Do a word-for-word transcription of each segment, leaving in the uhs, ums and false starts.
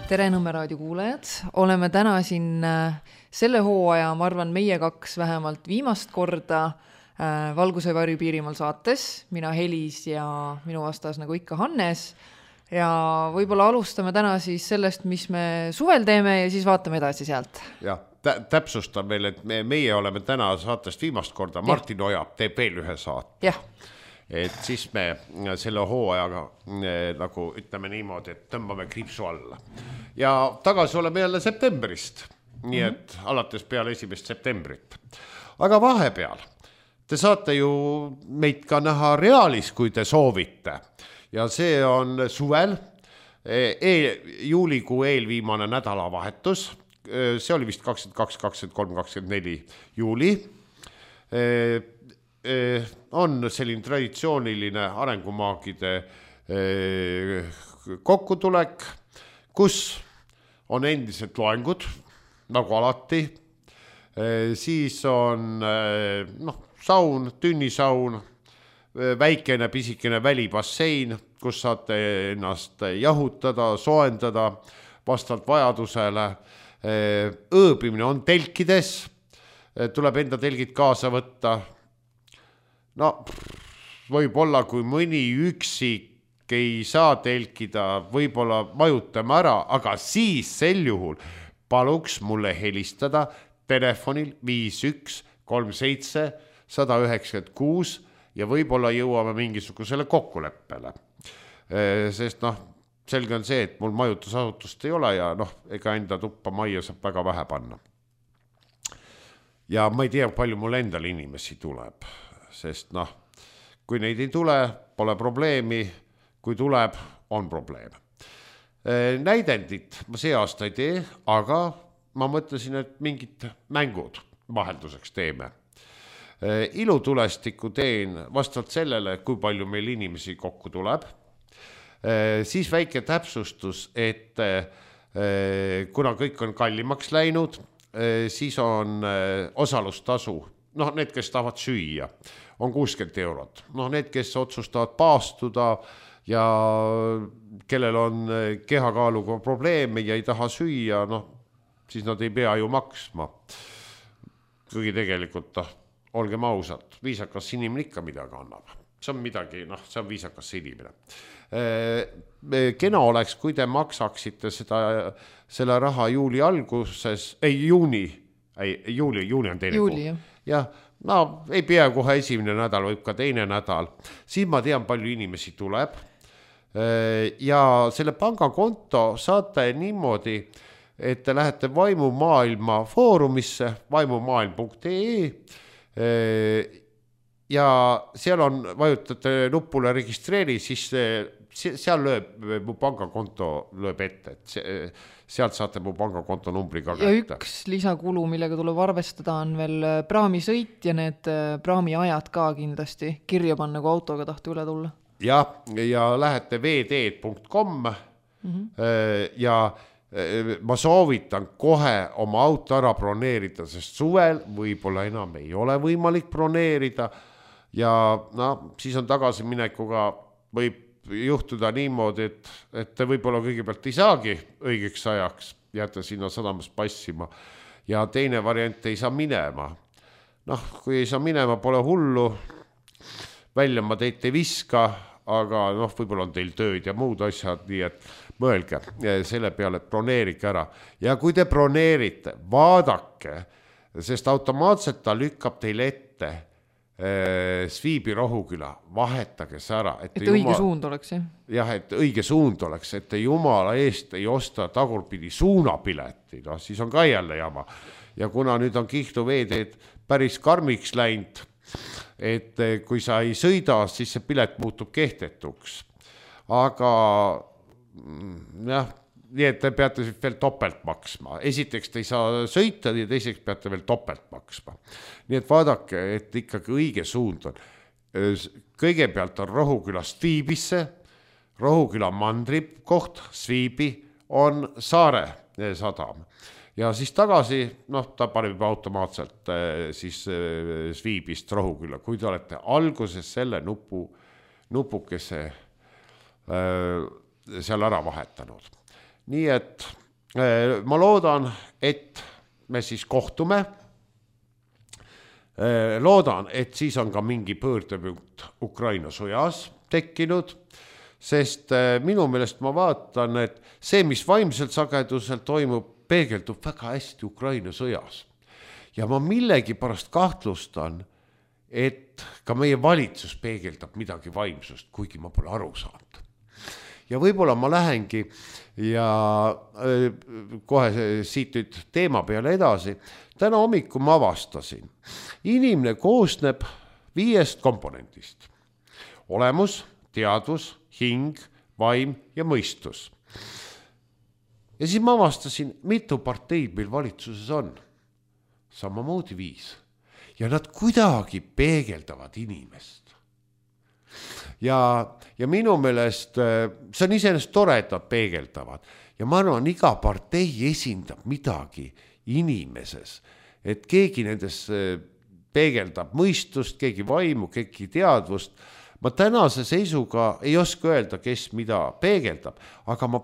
Tere Nõmme raadio kuulajad. Oleme täna siin selle hooaja, ma arvan, meie kaks vähemalt viimast korda Valguse varju Piirimaal saates. Mina Helis ja minu vastas nagu ikka Hannes. Ja võib-olla alustame täna siis sellest, mis me suvel teeme ja siis vaatame edasi sealt. Ja, tä- täpsustan veel, et me, meie oleme täna saatest viimast korda. Martin Ojab teeb veel ühe saate. Jah. Et siis me selle hooajaga nagu ütleme niimoodi, et tõmbame kriipsu alla. Ja tagasi oleme jälle septembrist, nii et mm-hmm. alates peale esimest septembrit. Aga vahepeal, te saate ju meid ka näha reaalis, kui te soovite. Ja see on suvel, e- juulikuu eelviimane nädalavahetus, see oli vist kakskümmend kaks, kakskümmend kolm, kakskümmend neli juuli. E- on selline traditsiooniline arengumaagide kokkutulek, kus on endiselt loengud, nagu alati. Siis on no, saun, tünnisaun, väikene pisikene välibassein, kus saate ennast jahutada, soendada vastavalt vajadusele. Ööbimine on telkides, tuleb enda telgid kaasa võtta. No, võib-olla kui mõni üksik ei saa telkida, võib-olla majutame ära, aga siis sel juhul paluks mulle helistada telefonil viis üks kolm seitse üks üheksa kuus ja võib-olla jõuame mingisugusele kokkuleppele. Sest noh, selge on see, et mul majutusasutust ei ole ja noh, ega enda tuppa majja saab väga vähe panna. Ja ma ei tea, palju mul endal inimesi tuleb. Sest noh, kui neid ei tule, pole probleemi, kui tuleb, on probleem. Näidendit ma see aasta ei tee, aga ma mõtlesin, et mingid mängud vahelduseks teeme. Ilutulestiku teen vastavalt sellele, kui palju meil inimesi kokku tuleb. Siis väike täpsustus, et kuna kõik on kallimaks läinud, siis on osalustasu. Noh, need, kes tahavad süüa, on kuuskümmend eurot. Noh, need, kes otsustavad paastuda ja kellel on kehakaaluga probleeme ja ei taha süüa, noh, siis nad ei pea ju maksma. Kuigi tegelikult, noh, olgem ausad, viisakas inimene ikka midagi annab. See on midagi, noh, see on viisakas inimene. Kena oleks, kui te maksaksite seda, selle raha juuli alguses, ei, juuni, ei, juuli, juuni on teine juuli, kuu. Ja, no ei pea kohe esimene nädal, võib ka teine nädal. Siin ma tean, palju inimesi tuleb. Ja selle pangakonto saate niimoodi, et te lähete Vaimumaailma foorumisse vaimumaailm punkt ee ja seal on, vajutate nupule registreeri, siis seal lööb, mu pangakonto lööb ette, et sealt saate mu pangakonto numbri ka ja kätte. Üks lisakulu, millega tuleb arvestada, on veel praamisõit ja need praami ajad ka kindlasti kirja panna, kui autoga tahte üle tulla. Ja, ja lähete v d punkt com mm-hmm. ja ma soovitan kohe oma auto ära broneerida, sest suvel võib-olla enam ei ole võimalik broneerida ja no, siis on tagasiminekuga võib juhtuda niimoodi, et, et te võib-olla kõigepealt ei saagi õigeks ajaks, jääte sinna sadamas passima ja teine variant ei saa minema. Noh, kui ei saa minema, pole hullu, välja ma teid ei viska, aga noh, võib-olla on teil tööd ja muud asjad, nii et mõelge selle peale, et broneerike ära. Ja kui te broneerite, vaadake, sest automaatselt ta lükkab teil ette Sviibi Rohuküla, vahetage see ära. Et, et õige jumal... suund oleks, jah? Jah, et õige suund oleks, et te jumala eest ei osta tagurpidi suunapileti, no siis on ka jälle jama. Ja kuna nüüd on Kihtu veeteed päris karmiks läinud, et kui sa ei sõida, siis see pilet muutub kehtetuks. Aga jah, nii et te peate veel topelt maksma. Esiteks te ei saa sõita ja teiseks peate veel topelt maksma. Nii et vaadake, et ikkagi õige suund on. Kõigepealt on Rohuküla Sviibisse, Rohuküla mandri koht, Sviibi on Saare sadam. Ja siis tagasi, noh, ta paneb juba automaatselt siis Sviibist Rohuküla. Kui te olete alguses selle nupu, nupukese seal ära vahetanud. Nii et ma loodan, et me siis kohtume. Loodan, et siis on ka mingi pöördepunkt Ukraina sõjas tekkinud, sest minu meelest ma vaatan, et see, mis vaimselt sagedusel toimub, peegeldub väga hästi Ukraina sõjas. Ja ma millegi pärast kahtlustan, et ka meie valitsus peegeldab midagi vaimsust, kuigi ma pole aru saanud. Ja võib-olla ma lähengi ja kohe siit nüüd teema peale edasi. Täna hommiku ma avastasin. Inimene koosneb viiest komponendist. Olemus, teadvus, hing, vaim ja mõistus. Ja siis ma avastasin, mitu parteid meil valitsuses on. Samamoodi viis. Ja nad kuidagi peegeldavad inimest. Ja, ja minu meelest see on iseenesest tore, et nad peegeldavad. Ja ma arvan, iga partei esindab midagi inimeses, et keegi nendes peegeldab mõistust, keegi vaimu, keegi teadvust. Ma tänase seisuga ei oska öelda, kes mida peegeldab, aga ma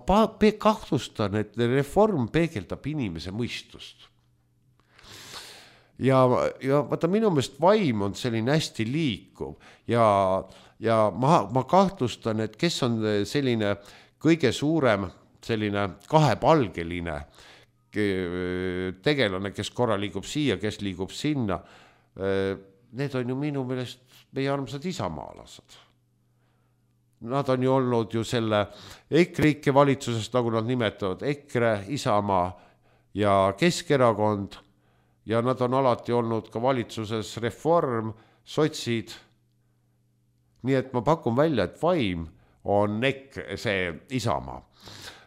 kahtlustan, et reform peegeldab inimese mõistust. Ja, ja vaata, minu meelest vaim on selline hästi liikuv ja, ja ma, ma kahtlustan, et kes on selline kõige suurem selline kahepalgeline tegelane, kes korra liigub siia, kes liigub sinna. Need on ju minu meelest meie armsad isamaalased. Nad on ju olnud ju selle EKRIKE valitsusest, nagu nad nimetavad, EKRE, Isamaa ja Keskerakond. Ja nad on alati olnud ka valitsuses reform, sotsid. Nii et ma pakun välja, et vaim on EKRE, see Isamaa.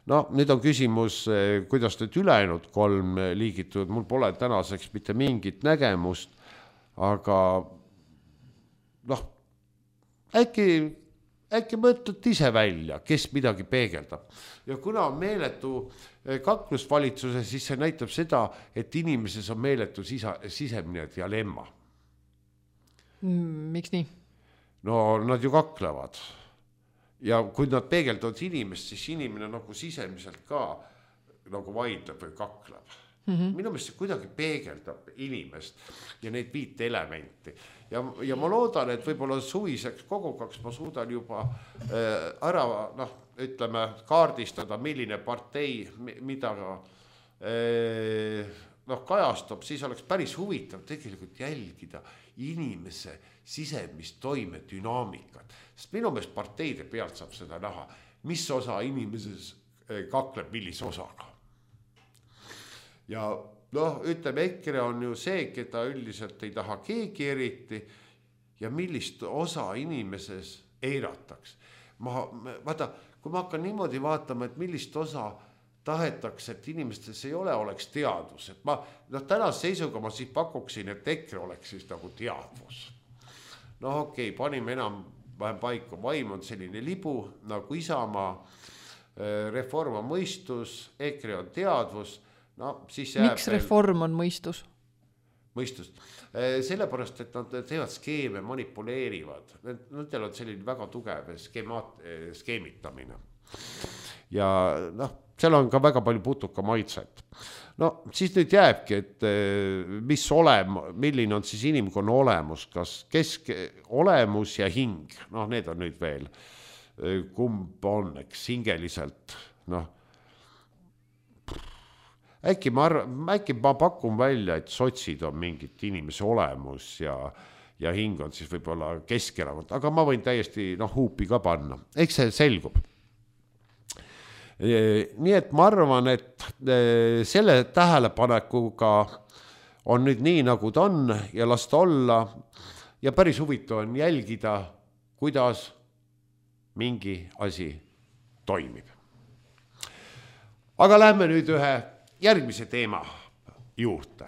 No nüüd on küsimus, kuidas nüüd ülejäänud kolm liigitud. Mul pole tänaseks mitte mingit nägemust, aga noh, äkki, äkki mõtled ise välja, kes midagi peegeldab. Ja kuna on meeletu kaklusvalitsuse, siis see näitab seda, et inimeses on meeletu sisa, sisemine dialemma. Miks nii? No nad ju kaklevad. Ja kui nad peegeldavad inimest, siis inimene nagu sisemiselt ka nagu vaidleb või kakleb. Mm-hmm. Minu meelest see kuidagi peegeldab inimest ja neid viit elementi. Ja, ja ma loodan, et võib-olla suviseks kogukaks ma suudan juba äh, ära, noh, ütleme, kaardistada, milline partei, mida äh, noh, kajastab, siis oleks päris huvitav tegelikult jälgida inimese sisemist toime dünaamikat. Sest minu meelest parteide pealt saab seda näha, mis osa inimeses kakleb millise osaga. Ja noh, ütleme, EKRE on ju see, keda üldiselt ei taha keegi eriti ja millist osa inimeses eirataks. Ma, vaata, kui ma hakkan niimoodi vaatama, et millist osa tahetakse, et inimestes ei ole, oleks teadvus. Et ma, noh, tänase seisuga ma siis pakuksin, et EKRE oleks siis nagu teadvus. No okei, okay, panime enam vähem paika. Vaim on selline libu, nagu Isamaa, reform on mõistus, EKRE on teadvus. No, siis miks reform on mõistus? Mõistus. Sellepärast, et nad teevad skeeme, manipuleerivad. Nendel on selline väga tugev skeemat, skeemitamine. Ja noh, seal on ka väga palju putuka maitset. No siis nüüd jääbki, et mis olem, milline on siis inimkonna olemus, kas kesk olemus ja hing, noh need on nüüd veel, kumb on, eks hingeliselt, noh, äkki ma, äkki ma pakun välja, et sotsid on mingit inimese olemus ja, ja hing on siis võib-olla Keskerakond, aga ma võin täiesti noh, huupi ka panna, eks see selgub. Nii et ma arvan, et selle tähelepanekuga on nüüd nii, nagu ta on ja lasta olla ja päris huvitav on jälgida, kuidas mingi asi toimib. Aga lähme nüüd ühe järgmise teema juurde.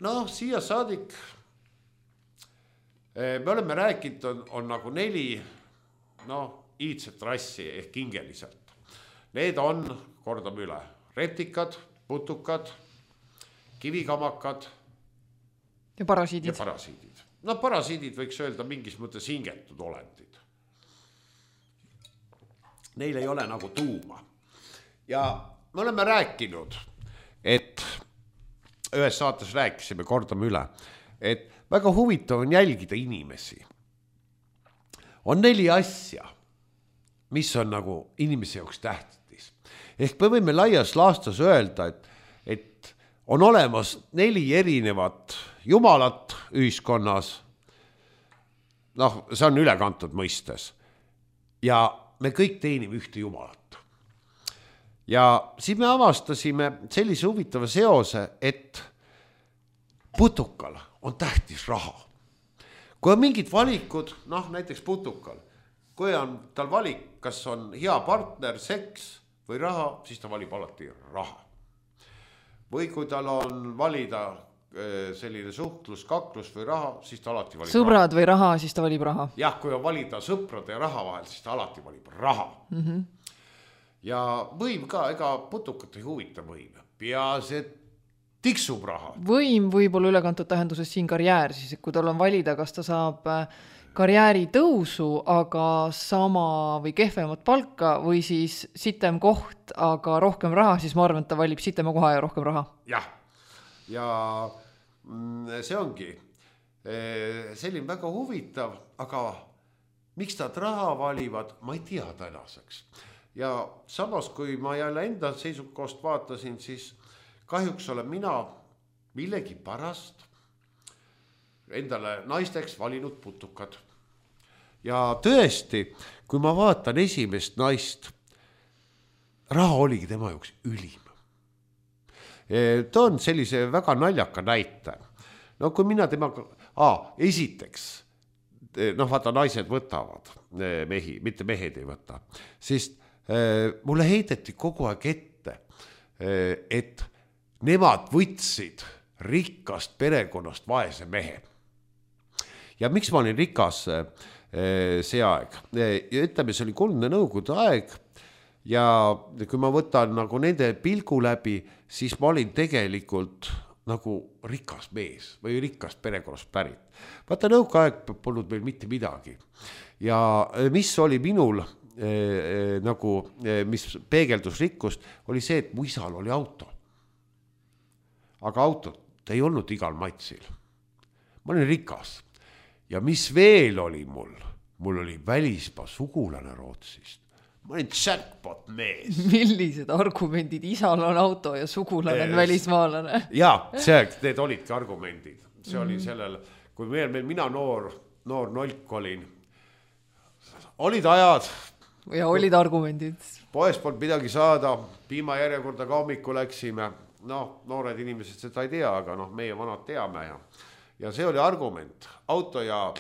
Noh, siia saadik me oleme rääkinud, on, on nagu neli, noh, iidset rassi ehk hingeliselt. Need on, kordame üle, retikad, putukad, kivikamakad ja parasiidid. Ja parasiidid. No parasiidid võiks öelda mingis mõttes hingetud olendid. Neil ei ole nagu tuuma. ja me oleme rääkinud, et ühes saates rääkisime, kordame üle, et väga huvitav on jälgida inimesi. On neli asja, mis on nagu inimese jaoks tähtis. Ehk me võime laias laastas öelda, et, et on olemas neli erinevat jumalat ühiskonnas. Noh, see on ülekantud mõistes. Ja me kõik teenime ühte jumalat. Ja siis me avastasime sellise huvitava seose, et putukal on tähtis raha. Kui on mingid valikud, noh näiteks putukal, kui on tal valik, kas on hea partner, seks või raha, siis ta valib alati raha. Või kui tal on valida selline suhtlus, kaklus või raha, siis ta alati valib sõbrad raha. Või raha, siis ta valib raha. Jah, kui on valida sõprade ja raha vahel, siis ta alati valib raha. Mm-hmm. Ja võim ka, ega putukat ei huvita võim. Peas, et tiksub raha. Võim võib olla ülekantud tähenduses siin karjäär, siis kui tal on valida, kas ta saab karjääri tõusu, aga sama või kehvemat palka või siis sitem koht, aga rohkem raha, siis ma arvan, et ta valib sitema koha ja rohkem raha. Jah, ja see ongi selline väga huvitav, aga miks nad raha valivad, ma ei tea tänaseks. Ja samas, kui ma jälle enda seisukohast vaatasin, siis kahjuks olen mina millegi pärast endale naisteks valinud putukad. Ja tõesti, kui ma vaatan esimest naist, raha oligi tema jaoks ülim. Ta on sellise väga naljaka näite. No kui mina temaga, aa, esiteks, noh vaata naised võtavad mehi, mitte mehed ei võta, siis mulle heideti kogu aeg ette, et nemad võtsid rikkast perekonnast vaese mehe. Ja miks ma olin rikas see aeg? Ja ütleme, see oli kuldne nõukogude aeg ja kui ma võtan nagu nende pilgu läbi, siis ma olin tegelikult nagu rikas mees või rikkast perekonnast pärit. Vaata nõukogude aeg polnud meil mitte midagi. Ja mis oli minul nagu, mis peegeldus rikkust, oli see, et mu isal oli auto. Aga autot ei olnud igal matsil. Ma olin rikas. Ja mis veel oli mul? Mul oli välismaa sugulane Rootsist. Ma olin jackpot mees. Millised argumendid? Isal on auto ja sugulane on välismaalane. Jaa, see, need olidki argumendid. See oli sellel, kui meil, meil mina noor, noor nolk olin. Olid ajad. Ja olid argumendid. Poes polnud midagi saada, piimajärjekorda ka hommiku läksime. No, noored inimesed seda ei tea, aga noh, meie vanad teame. Ja, ja see oli argument. Auto ja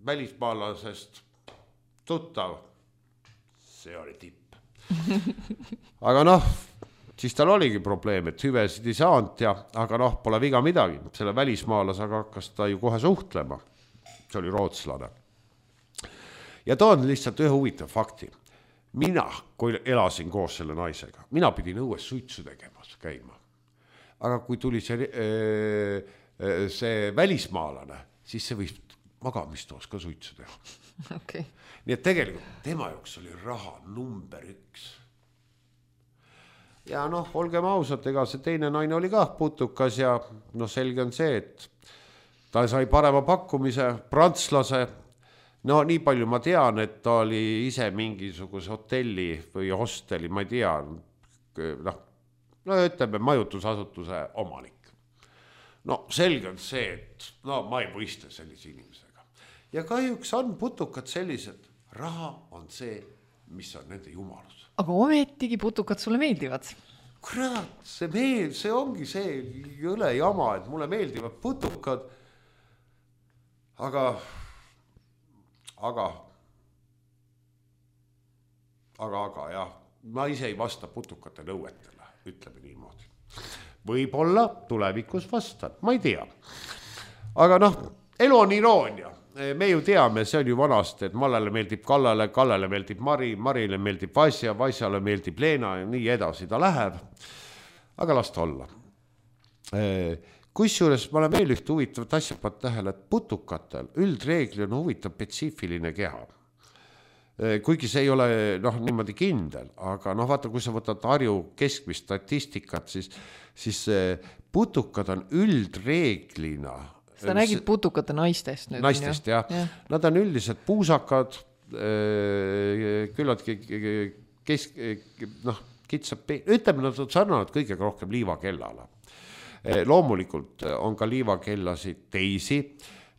välismaalasest tuttav. See oli tipp. Aga noh, siis tal oligi probleem, et hüvesid ei saanud ja, aga noh, pole viga midagi. Selle välismaalasega hakkas ta ju kohe suhtlema. See oli rootslane. Ja toon lihtsalt ühe huvitav fakti. Mina, kui elasin koos selle naisega, mina pidin õues suitsu tegemas käima. Aga kui tuli see, see välismaalane, siis see võis magamistoos ka suitsu teha. Okay. Nii et tegelikult tema jaoks oli raha number üks. Ja noh, olgem ausad, ega see teine naine oli ka putukas ja noh, selge on see, et ta sai parema pakkumise, prantslase. No nii palju ma tean, et ta oli ise mingisuguse hotelli või hosteli, ma ei tea, noh, no ütleme majutusasutuse omanik. No selge on see, et no ma ei võista sellise inimesega. Ja kahjuks on putukad sellised, raha on see, mis on nende jumalus. Aga ometigi putukad sulle meeldivad. Kurat, see meel, see ongi see jõle jama, et mulle meeldivad putukad, aga... Aga, aga, aga jah, ma ise ei vasta putukate nõuetele, ütleme niimoodi. Võib-olla tulevikus vastan, ma ei tea. Aga noh, elu on iroonia. Me ju teame, see on ju vanast, et Mallale meeldib Kallale, Kallale meeldib Mari, Marile meeldib Vasja, Vasjale meeldib Leena ja nii edasi ta läheb. Aga las ta olla. Kusjuures ma olen veel üht huvitavat asja pannud tähele, et putukatel üldreegli on huvitav spetsiifiline keha. kuigi see ei ole noh, niimoodi kindel, aga noh, vaata, kui sa võtad Harju keskmist statistikat, siis, siis putukad on üldreeglina. Sa nägid putukate naistest nüüd. Naistest, jah. Ja. Nad on üldiselt puusakad, küllaltki kesk, noh, kitsab, ütleme, nad on sarnanud kõigega rohkem liivakellale. Loomulikult on ka liivakellasid teisi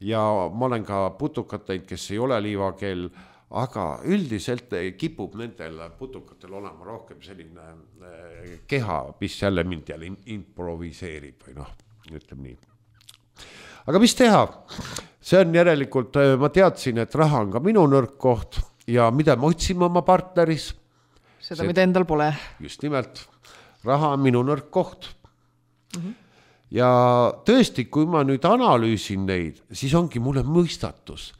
ja ma olen ka putukat teinud, kes ei ole liivakell, aga üldiselt kipub nendel putukatel olema rohkem selline keha, mis jälle mind jälle improviseerib või noh, ütleme nii. Aga mis teha? See on järelikult, ma teadsin, et raha on ka minu nõrk koht ja mida ma otsime oma partneris? Seda, See, mida endal pole. Just nimelt, raha on minu nõrk koht. Mm-hmm. Ja tõesti, kui ma nüüd analüüsin neid, siis ongi mulle mõistatus,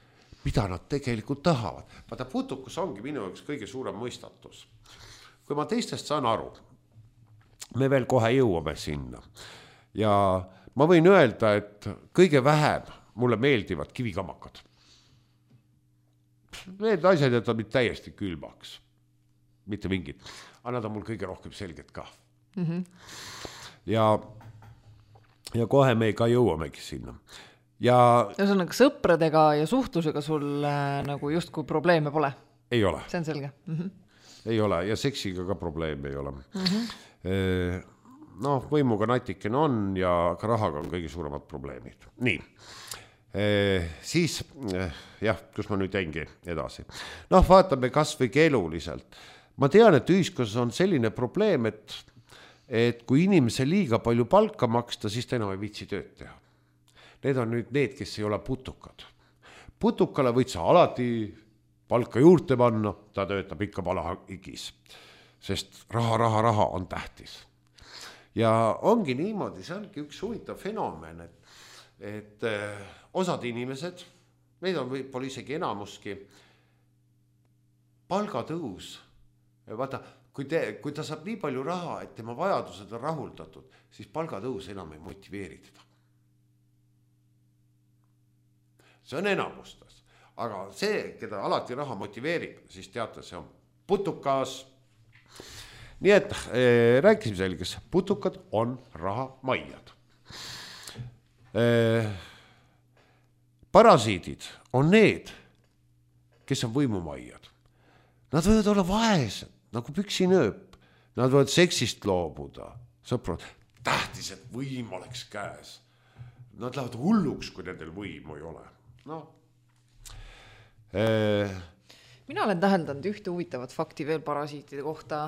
mida nad tegelikult tahavad. Vaata, putukus ongi minu üks kõige suurem mõistatus. Kui ma teistest saan aru, me veel kohe jõuame sinna. Ja ma võin öelda, et kõige vähem mulle meeldivad kivikamakad. Need asjad jätavad mind täiesti külmaks. Mitte mingid. Aga nad on mul kõige rohkem selged ka. Mm-hmm. Ja, ja kohe me ka jõuamegi sinna. Ja ühesõnaga sõpradega ja suhtlusega sul äh, nagu justkui probleeme pole? Ei ole. See on selge. Mm-hmm. Ei ole ja seksiga ka probleeme ei ole. Mm-hmm. E, noh, võimuga natikene on ja ka rahaga on kõige suuremad probleemid. Nii, e, siis jah, kus ma nüüd jängi edasi. Noh, vaatame kas või keeluliselt. Ma tean, et ühiskonnas on selline probleem, et, et kui inimese liiga palju palka maksta, siis ta enam ei viitsi tööd teha. Need on nüüd need, kes ei ole putukad. Putukale võid sa alati palka juurde panna, ta töötab ikka palahigis, sest raha, raha, raha on tähtis. Ja ongi niimoodi, see ongi üks huvitav fenomen, et, et osad inimesed, neid on võib-olla isegi enamuski, palgatõus, vaata, kui, te, kui ta saab nii palju raha, et tema vajadused on rahuldatud, siis palgatõus enam ei motiveeri teda. See on enamustas, aga see, keda alati raha motiveerib, siis teate, see on putukas. Nii et äh, rääkisime selges, putukad on raha maiad. Äh, parasiidid on need, kes on võimumaiad. Nad võivad olla vaesed, nagu püksinööp. Nad võivad seksist loobuda. Sõprad, tähtis, et võim oleks käes. Nad lähevad hulluks, kui nendel võimu ei ole. No. Äh. Mina olen täheldanud ühte huvitavat fakti veel parasiitide kohta.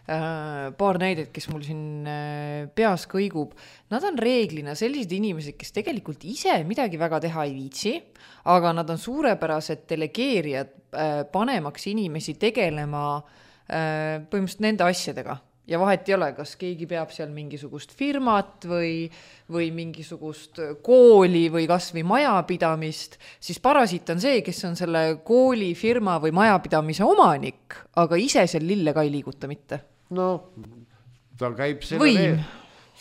Äh, paar näidet, kes mul siin äh, peas kõigub. Nad on reeglina sellised inimesed, kes tegelikult ise midagi väga teha ei viitsi, aga nad on suurepärased delegeerijad äh, panemaks inimesi tegelema äh, põhimõtteliselt nende asjadega. Ja vahet ei ole, kas keegi peab seal mingisugust firmat või, või mingisugust kooli või kas või majapidamist, siis parasiit on see, kes on selle kooli, firma või majapidamise omanik, aga ise seal lille ka ei liiguta mitte. No, ta käib selle, reeg-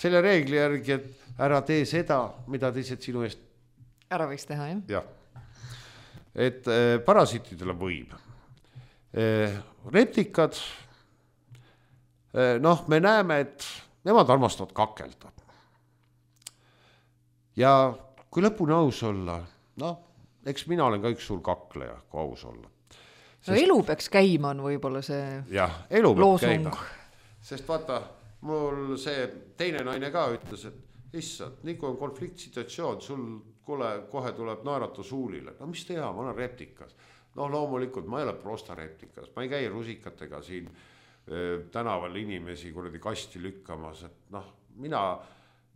selle reegli järgi, et ära tee seda, mida teised sinu eest ära võiks teha, jah? Jah. Et äh, parasiitidele võim. Äh, reptikad, noh, me näeme, et nemad armastavad kakelda. Ja kui lõpuni aus olla, noh, eks mina olen ka üks suur kakleja, kui aus olla. Sest, no elu peaks käima on võib-olla see jah, elu peaks loosung. Käima. Sest vaata, mul see teine naine ka ütles, et issand, nii kui on konfliktsituatsioon, sul kule, kohe tuleb naerata suulile. No mis teha, ma olen reptikas. No loomulikult, ma ei ole prosta reptikas, ma ei käi rusikatega siin tänaval inimesi kuradi kasti lükkamas, et noh, mina,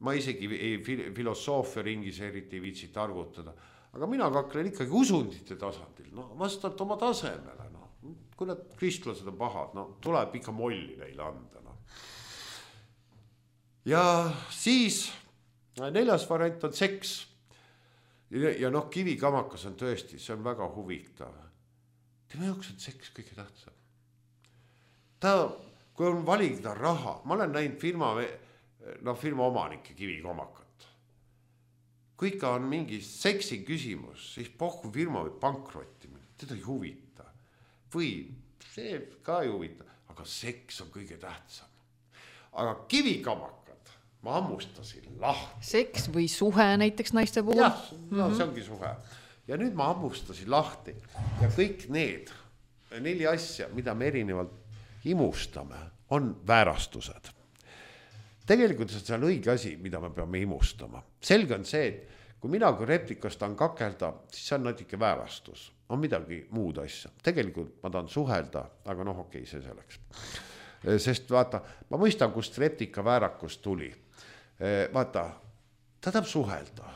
ma isegi ei filosoofia ringis eriti ei viitsi targutada, aga mina kaklen ikkagi usundite tasandil, no vastalt oma tasemele, no, kui need kristlased on pahad, no tuleb ikka molli neile anda, no. Ja siis neljas variant on seks ja, ja noh, kivikamakas on tõesti, see on väga huvitav. Tema jaoks on seks kõige tähtsam. Ta, kui on valida raha, ma olen näinud firma, no firma omanike kivikomakat. Kui ikka on mingi seksi küsimus, siis pohku firma või pankrotti, teda ei huvita. või see ka ei huvita, aga seks on kõige tähtsam. Aga kivikamakad ma ammustasin lahti. Seks või suhe näiteks naiste puhul? Jah, no see ongi suhe. Ja nüüd ma ammustasin lahti ja kõik need neli asja, mida me erinevalt imustame, on väärastused. Tegelikult see on õige asi, mida me peame imustama. Selge on see, et kui mina kui replikast tahan kakelda, siis see on natuke väärastus. On midagi muud asja. Tegelikult ma tahan suhelda, aga noh, okei, see selleks. Sest vaata, ma mõistan, kust replika väärakus tuli. Vaata, ta tahab suhelda.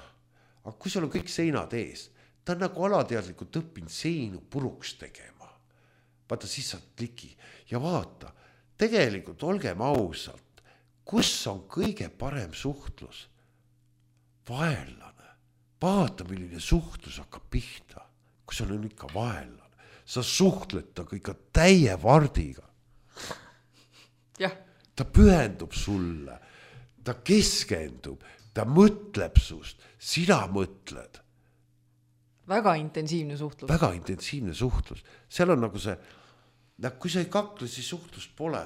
Aga kui sul on kõik seinad ees, ta on nagu alateadlikult õppinud seinu puruks tegema. Vaata, siis saad ligi. Ja vaata, tegelikult olgem ausalt, kus on kõige parem suhtlus? Vaenlane. Vaata, milline suhtlus hakkab pihta, kui sul on ikka vaenlane. Sa suhtled ta ikka täie vardiga. Jah. Ta pühendub sulle, ta keskendub, ta mõtleb sust, sina mõtled. Väga intensiivne suhtlus. Väga intensiivne suhtlus. Seal on nagu see, kui sa ei kakle, siis suhtlus pole.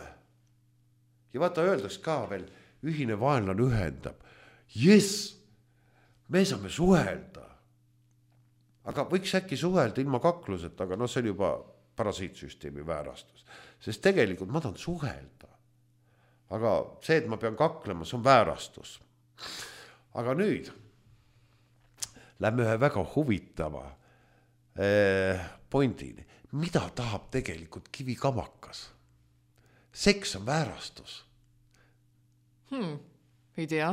Ja vaata, öeldaks ka veel, ühine vaenlane ühendab. Yes, me saame suhelda. Aga võiks äkki suhelda ilma kakluseta, aga no see on juba parasiitsüsteemi väärastus. Sest tegelikult ma tahan suhelda. Aga see, et ma pean kaklema, see on väärastus. Aga nüüd lähme ühe väga huvitava eh, pointini. Mida tahab tegelikult kivikamakas? Seks on väärastus. Hmm, ei tea.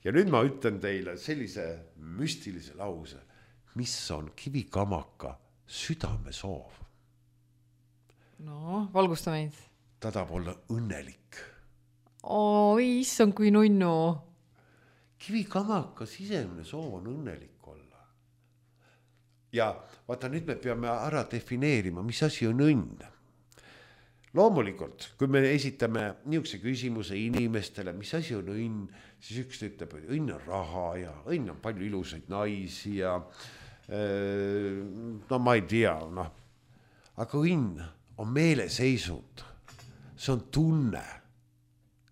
Ja nüüd ma ütlen teile sellise müstilise lause, mis on kivikamaka südamesoov. No, valgusta meid. Ta tahab olla õnnelik. Oi, issand kui nunnu. Kivikamaka sisemine soov on õnnelik olla. Ja vaata, nüüd me peame ära defineerima, mis asi on õnn. Loomulikult, kui me esitame niisuguse küsimuse inimestele, mis asi on õnn, siis üks ütleb, et õnn on raha ja õnn on palju ilusaid naisi ja no ma ei tea, noh. Aga õnn on meeleseisund, see on tunne.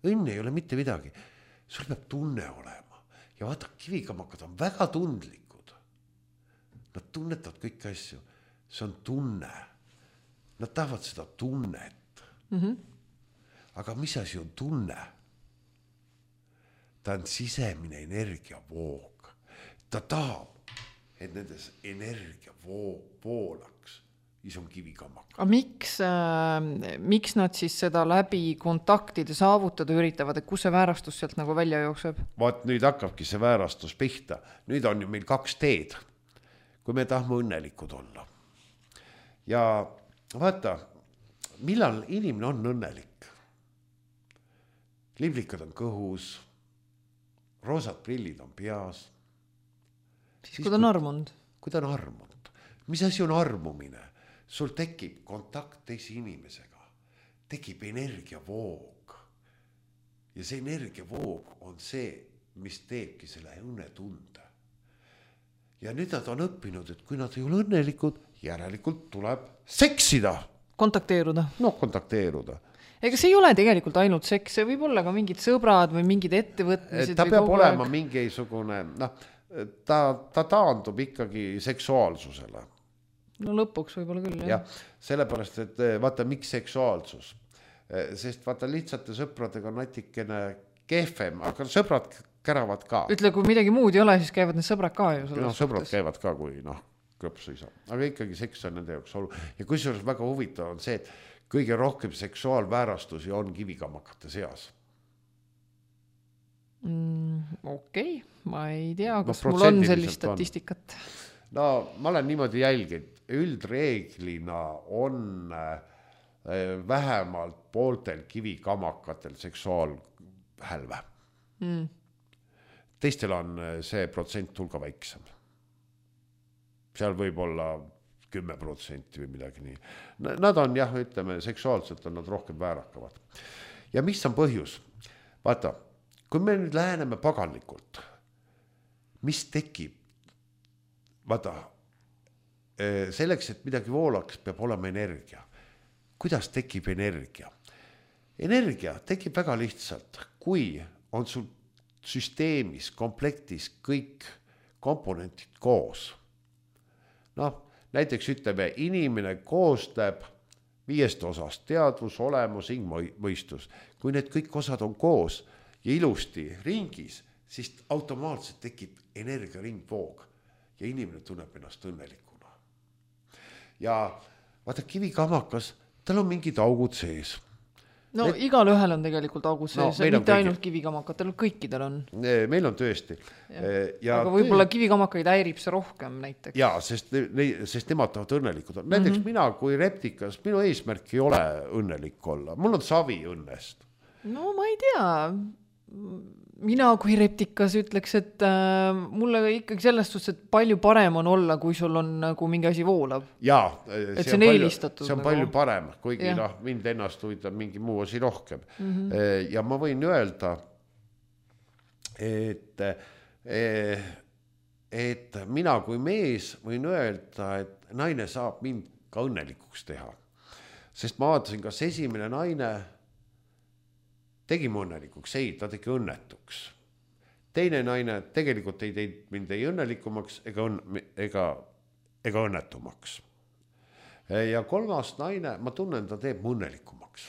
Õnn ei ole mitte midagi, sul peab tunne olema. Ja vaata, kivikamakad on väga tundlikud. Nad tunnetavad kõik asju, see on tunne. Nad tahavad seda tunnet. Mm-hmm. Aga mis asi on tunne? Ta on sisemine energiavoog. Ta tahab, et nendes energiavoog voolaks. Siis on kivikamaka. Aga miks, äh, miks nad siis seda läbi kontaktide saavutada üritavad, et kus see väärastus sealt nagu välja jookseb? Vaat nüüd hakkabki see väärastus pihta. Nüüd on ju meil kaks teed, kui me tahame õnnelikud olla. Ja vaata, millal inimene on õnnelik? Liblikad on kõhus, roosad prillid on peas. Siis, siis kui ta on armunud? Kui ta on armunud. Mis asi on armumine? Sul tekib kontakt teise inimesega. Tekib energiavoog. Ja see energiavoog on see, mis teebki selle õnnetunde. Ja nüüd nad on õppinud, et kui nad ei ole õnnelikud, järelikult tuleb seksida. Kontakteeruda. No, kontakteeruda. Ega see ei ole tegelikult ainult seks, see võib olla ka mingid sõbrad või mingid ettevõtmised. Ta peab olema mingisugune, noh, ta, ta taandub ikkagi seksuaalsusele. No lõpuks võib-olla küll, jah. Ja, sellepärast, et vaata, miks seksuaalsus? Sest vaata, lihtsate sõpradega on natikene kehvem, aga sõbrad käravad ka. Ütle, kui midagi muud ei ole, siis käivad need sõbrad ka ju. No, sõbrad käivad ka, kui noh, klõpsu ei saa. Aga ikkagi seks on nende jaoks olu. Ja kusjuures väga huvitav on see, et kõige rohkem seksuaalväärastusi on kivikamakate seas. Mm, okei, okay. Ma ei tea, kas no, mul on sellist statistikat. On. No, ma olen niimoodi jälginud. Üldreeglina on vähemalt pooltel kivikamakatel seksuaalhälve. Mm. Teistel on see protsent hulga väiksem. Seal võib olla kümme protsenti või midagi nii. Nad on jah, ütleme, seksuaalselt on nad rohkem väärakavad. Ja mis on põhjus? Vaata, kui me nüüd läheneme paganlikult, mis tekib? Vaata, selleks, et midagi voolaks, peab olema energia. Kuidas tekib energia? Energia tekib väga lihtsalt, kui on sul süsteemis, komplektis kõik komponentid koos. Noh, näiteks ütleme, inimene koostab viiest osast teadvus, olemus, hing, mõistus. Kui need kõik osad on koos ja ilusti ringis, siis automaatselt tekib energiaringvoog ja inimene tunneb ennast õnnelikuna. Ja vaata, kivikamakas, tal on mingid augud sees. No Need... igal ühel on tegelikult augud sees, no, mitte kõigi... ainult kivikamakatel, kõikidel on. Meil on tõesti. Ja. Ja aga võib-olla tõe... kivikamakaid häirib see rohkem näiteks. Jaa, sest, sest nemad tahavad õnnelikud. Näiteks mm-hmm. mina kui reptikas, minu eesmärk ei ole õnnelik olla. Mul on savi õnnest. No ma ei tea. Mina kui reptikas ütleks, et äh, mulle ikkagi sellest suhtes, et palju parem on olla, kui sul on nagu mingi asi voolab. Jaa, see, see on, on eelistatud. See on nagu... palju parem, kuigi noh, mind ennast huvitab mingi muu asi rohkem. Mm-hmm. Ja ma võin öelda, et, et mina kui mees võin öelda, et naine saab mind ka õnnelikuks teha. Sest ma vaatasin, kas esimene naine tegi mu õnnelikuks, ei, ta tegi õnnetuks. Teine naine tegelikult ei teinud mind ei õnnelikumaks ega, õnn, ega, ega õnnetumaks. Ja kolmas naine, ma tunnen, ta teeb mu õnnelikumaks.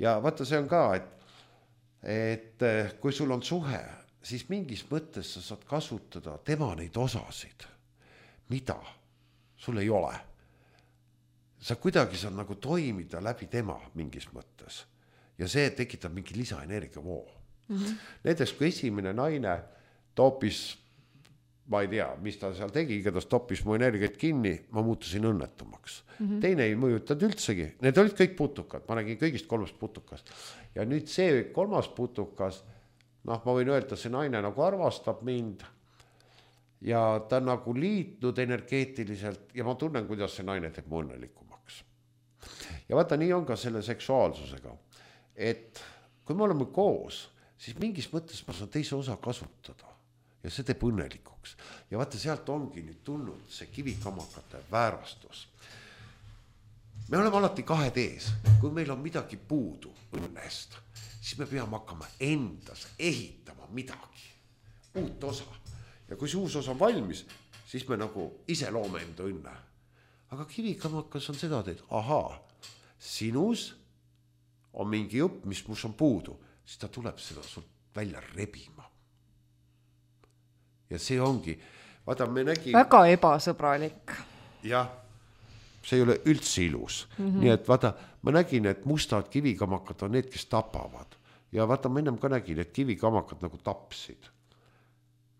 Ja vaata, see on ka, et, et kui sul on suhe, siis mingis mõttes sa saad kasutada tema neid osasid, mida sul ei ole. Sa kuidagi saad nagu toimida läbi tema mingis mõttes. Ja see tekitab mingi lisaenergia voo. Mm-hmm. Näiteks kui esimene naine toopis, ma ei tea, mis ta seal tegi, igatahes toppis mu energiat kinni, ma muutusin õnnetumaks. Mm-hmm. Teine ei mõjutanud üldsegi. Need olid kõik putukad, ma nägin kõigist kolmest putukast. Ja nüüd see kolmas putukas, noh, ma võin öelda, see naine nagu armastab mind ja ta on nagu liitnud energeetiliselt ja ma tunnen, kuidas see naine teeb mu õnnelikumaks. Ja vaata, nii on ka selle seksuaalsusega. Et kui me oleme koos, siis mingis mõttes ma saan teise osa kasutada ja see teeb õnnelikuks. Ja vaata, sealt ongi nüüd tulnud see kivikamakate väärastus. Me oleme alati kahe tees. Kui meil on midagi puudu õnnest, siis me peame hakkama endas ehitama midagi, uut osa. Ja kui see uus osa on valmis, siis me nagu ise loome enda õnne. Aga kivikamakas on seda, et ahaa, sinus on mingi jupp, mis mus on puudu, siis ta tuleb seda sult välja rebima. Ja see ongi, vaata, me nägime... Väga ebasõbralik. Jah, see ei ole üldse ilus. Mm-hmm. Nii et vaata, ma nägin, et mustad kivikamakad on need, kes tapavad. Ja vaata, ma ennem ka nägin, et kivikamakad nagu tapsid.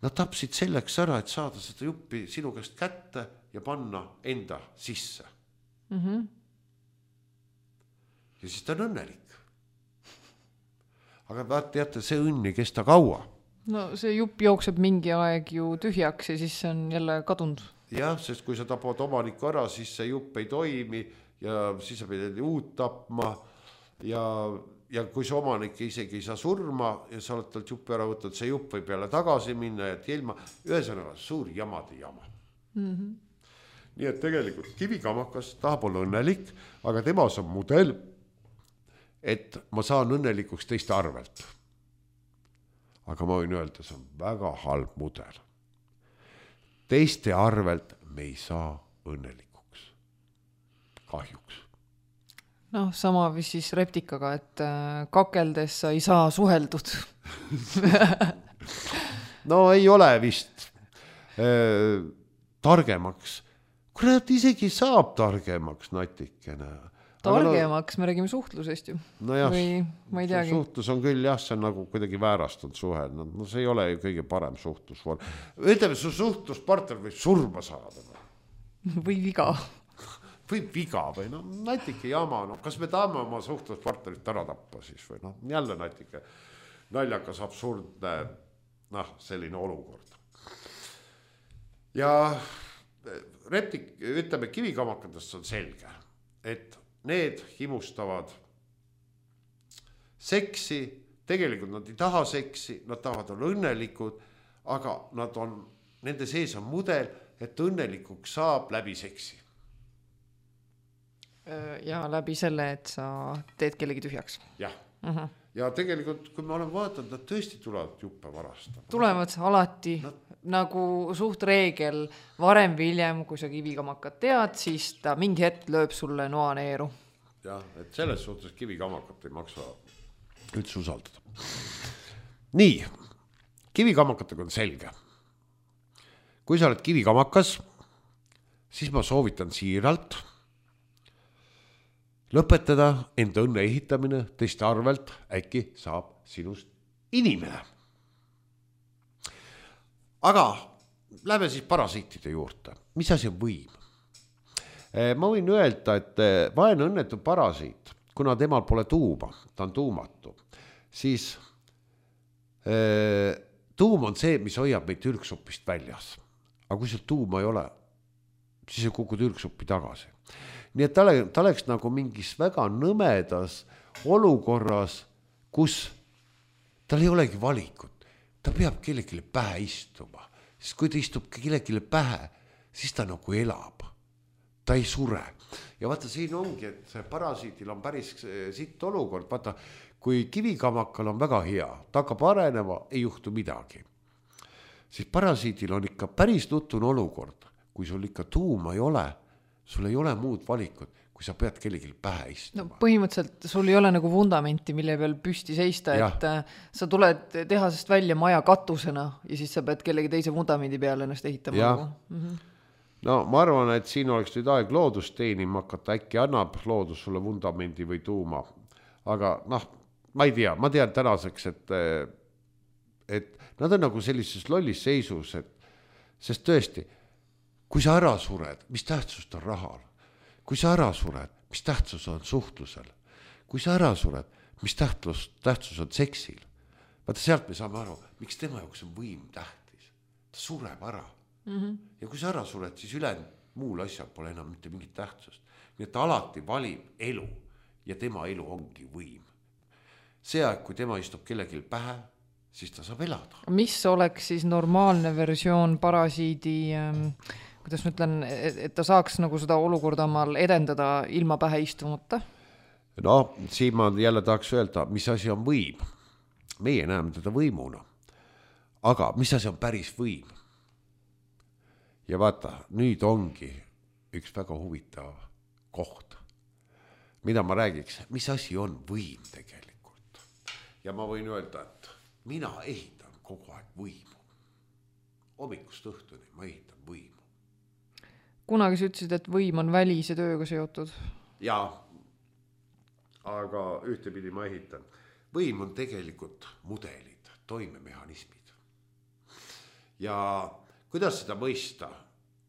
Nad tapsid selleks ära, et saada seda juppi sinu käest kätte ja panna enda sisse. Mhm. Ja siis ta on õnnelik. Aga vaat teate, see õnn ei kesta kaua. No see jupp jookseb mingi aeg ju tühjaks ja siis see on jälle kadunud. Jah, sest kui sa tapad omaniku ära, siis see jupp ei toimi ja siis sa pead uut tapma ja, ja kui see omanik isegi ei saa surma ja sa oled talt juppi ära võtnud, see jupp võib jälle tagasi minna ja ilma, ühesõnaga suur jamade jama. Mm-hmm. Nii et tegelikult kivikamakas tahab olla õnnelik, aga temas on mudel, et ma saan õnnelikuks teiste arvelt. Aga ma võin öelda, see on väga halb mudel. Teiste arvelt me ei saa õnnelikuks. Kahjuks. Noh, sama siis reptikaga, et kakeldes sa ei saa suheldud. No ei ole vist äh, targemaks. Kurat, isegi saab targemaks natikene. Targemaks, me räägime suhtlusest ju. No jah, või ma ei teagi. Suhtlus on küll jah, see on nagu kuidagi väärastunud suhe. No see ei ole ju kõige parem suhtlusvorm. Ütleme, su suhtluspartner võib surma saada. Või viga. Või viga või no natike jama. No, kas me tahame oma suhtluspartnerit ära tappa siis või noh, jälle natike naljakas absurdne noh, selline olukord. Ja reptik, ütleme, kivikamakatest on selge, et need himustavad seksi, tegelikult nad ei taha seksi, nad tahavad olla õnnelikud, aga nad on, nende sees on mudel, et õnnelikuks saab läbi seksi. Ja läbi selle, et sa teed kellegi tühjaks. Jah. Uh-huh. Ja tegelikult, kui me oleme vaadanud, nad tõesti tulevad juppe varastama. Tulevad alati nad... nagu suht reegel varem või hiljem, kui sa kivikamakat tead, siis ta mingi hetk lööb sulle noaneeru. Jah, et selles suhtes kivikamakat ei maksa üldse usaldada. Nii, kivikamakatega on selge. Kui sa oled kivikamakas, siis ma soovitan siiralt lõpetada enda õnne ehitamine teiste arvelt, äkki saab sinust inimene. Aga lähme siis parasiitide juurde. Mis asi on võim? Ma võin öelda, et vaene õnnetu parasiit, kuna temal pole tuuma, ta on tuumatu, siis tuum on see, mis hoiab meid ürgsupist väljas. Aga kui seal tuuma ei ole, siis ei kukud ürgsuppi tagasi. Nii et ta, ta oleks nagu mingis väga nõmedas olukorras, kus tal ei olegi valikut. Ta peab kellelegi pähe istuma. Sest kui ta istub kellelegi pähe, siis ta nagu elab. Ta ei sure. Ja vaata, siin ongi, et see parasiitil on päris sitt olukord. Vaata, kui kivikamakal on väga hea, ta hakkab arenema, ei juhtu midagi. Siis parasiitil on ikka päris nutune olukord. Kui sul ikka tuuma ei ole, sul ei ole muud valikut, kui sa pead kellelgi pähe istuma. No põhimõtteliselt sul ei ole nagu vundamenti, mille peal püsti seista, ja. Et sa tuled tehasest välja maja katusena ja siis sa pead kellegi teise vundamendi peale ennast ehitama. Nagu. Mm-hmm. No ma arvan, et siin oleks nüüd aeg loodust teenima hakata, äkki annab loodus sulle vundamendi või tuuma. Aga noh, ma ei tea, ma tean tänaseks, et, et nad on nagu sellises lollis seisus, et, sest tõesti, kui sa ära sured, mis tähtsust on rahal? Kui sa ära sured, mis tähtsus on suhtlusel? Kui sa ära sured, mis tähtsus, tähtsus on seksil? Vaata, sealt me saame aru, miks tema jaoks on võim tähtis. Ta sureb ära. Mm-hmm. Ja kui sa ära sured, siis ülen muul asjal pole enam mitte mingit tähtsust. Nii et ta alati valib elu ja tema elu ongi võim. See aeg, kui tema istub kellelgi pähe, siis ta saab elada. Mis oleks siis normaalne versioon parasiidi... Ähm... kuidas ma ütlen, et ta saaks nagu seda olukorda omal edendada ilma pähe istumata? No, siin ma jälle tahaks öelda, mis asi on võim. Meie näeme teda võimuna. Aga mis asi on päris võim? Ja vaata, nüüd ongi üks väga huvitav koht, mida ma räägiks, mis asi on võim tegelikult. Ja ma võin öelda, et mina ehitan kogu aeg võimu. Hommikust õhtuni ma ehitan võimu. Kunagi sa ütlesid, et võim on välise tööga seotud. Jaa, aga ühtepidi ma ehitan. Võim on tegelikult mudelid, toimemehhanismid. Ja kuidas seda mõista?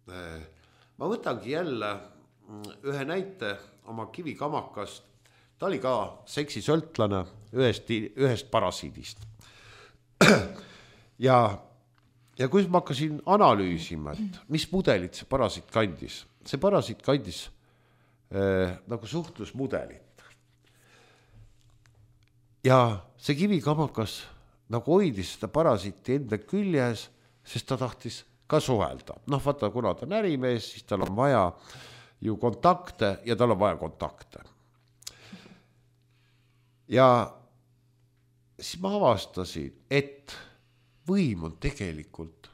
Ma võtangi jälle ühe näite oma kivikamakast. Ta oli ka seksisõltlane ühest, ühest parasiidist. Ja Ja kui ma hakkasin analüüsima, et mis mudelit see parasiit kandis, see parasiit kandis äh, nagu suhtlusmudelit. Ja see kivikamakas nagu hoidis seda parasiiti enda küljes, sest ta tahtis ka suhelda. Noh, vaata, kuna ta on ärimees, siis tal on vaja ju kontakte ja tal on vaja kontakte. Ja siis ma avastasin, et võim on tegelikult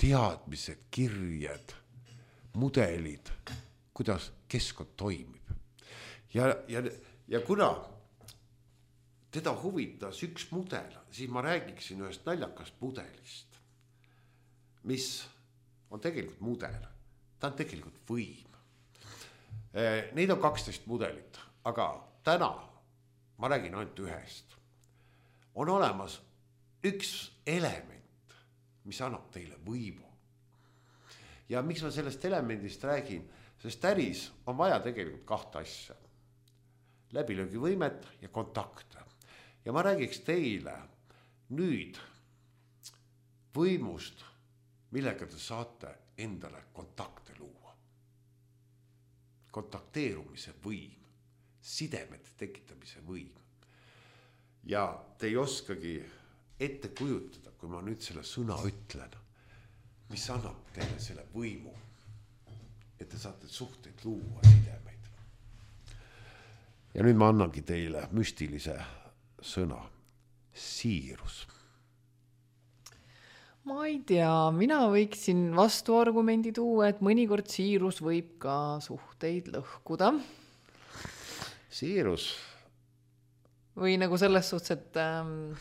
teadmised, kirjed, mudelid, kuidas keskkond toimib. Ja, ja, ja kuna teda huvitas üks mudel, siis ma räägiksin ühest naljakast mudelist, mis on tegelikult mudel. Ta on tegelikult võim. Neid on kaksteist mudelit, aga täna ma räägin ainult ühest. On olemas üks element, mis annab teile võimu. Ja miks ma sellest elemendist räägin? Sest äris on vaja tegelikult kahte asja. Läbilöögivõimet ja kontakte. Ja ma räägiks teile nüüd võimust, millega te saate endale kontakte luua. Kontakteerumise võim, sidemete tekitamise võim. Ja te ei oskagi ette kujutada, kui ma nüüd selle sõna ütlen. mis annab teile selle võimu, et te saate suhteid luua, sidemeid. Ja nüüd ma annangi teile müstilise sõna, siirus. Ma ei tea, mina võiksin vastuargumendi tuua, et mõnikord siirus võib ka suhteid lõhkuda. Siirus. Või nagu selles suhtes, et ähm,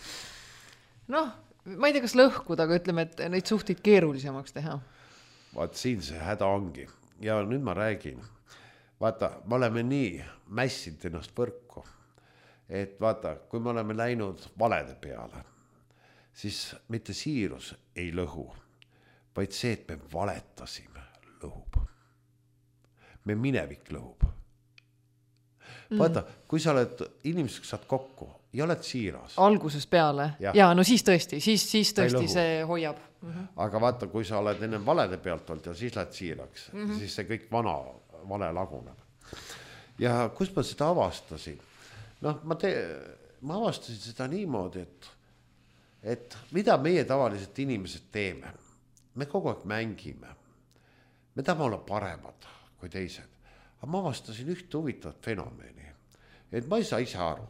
noh, ma ei tea, kas lõhkuda, aga ütleme, et neid suhteid keerulisemaks teha. Vaat siin see häda ongi. Ja nüüd ma räägin. Vaata, me oleme nii mässinud ennast võrku, et vaata, kui me oleme läinud valede peale, siis mitte siirus ei lõhu, vaid see, et me valetasime, lõhub. Me minevik lõhub. Vaata, kui sa oled inimeseks saad kokku ja oled siiras. Alguses peale. Ja, ja no siis tõesti, siis, siis tõesti see hoiab. Mm-hmm. Aga vaata, kui sa oled enne valede pealt olnud ja siis lähed siiraks, mm-hmm. siis see kõik vana vale laguneb. Ja kus ma seda avastasin? Noh, ma, te, ma avastasin seda niimoodi, et, et mida meie tavaliselt inimesed teeme. Me kogu aeg mängime. Me tahame olla paremad kui teised. Aga ma avastasin ühte huvitavat fenomeni, et ma ei saa ise aru.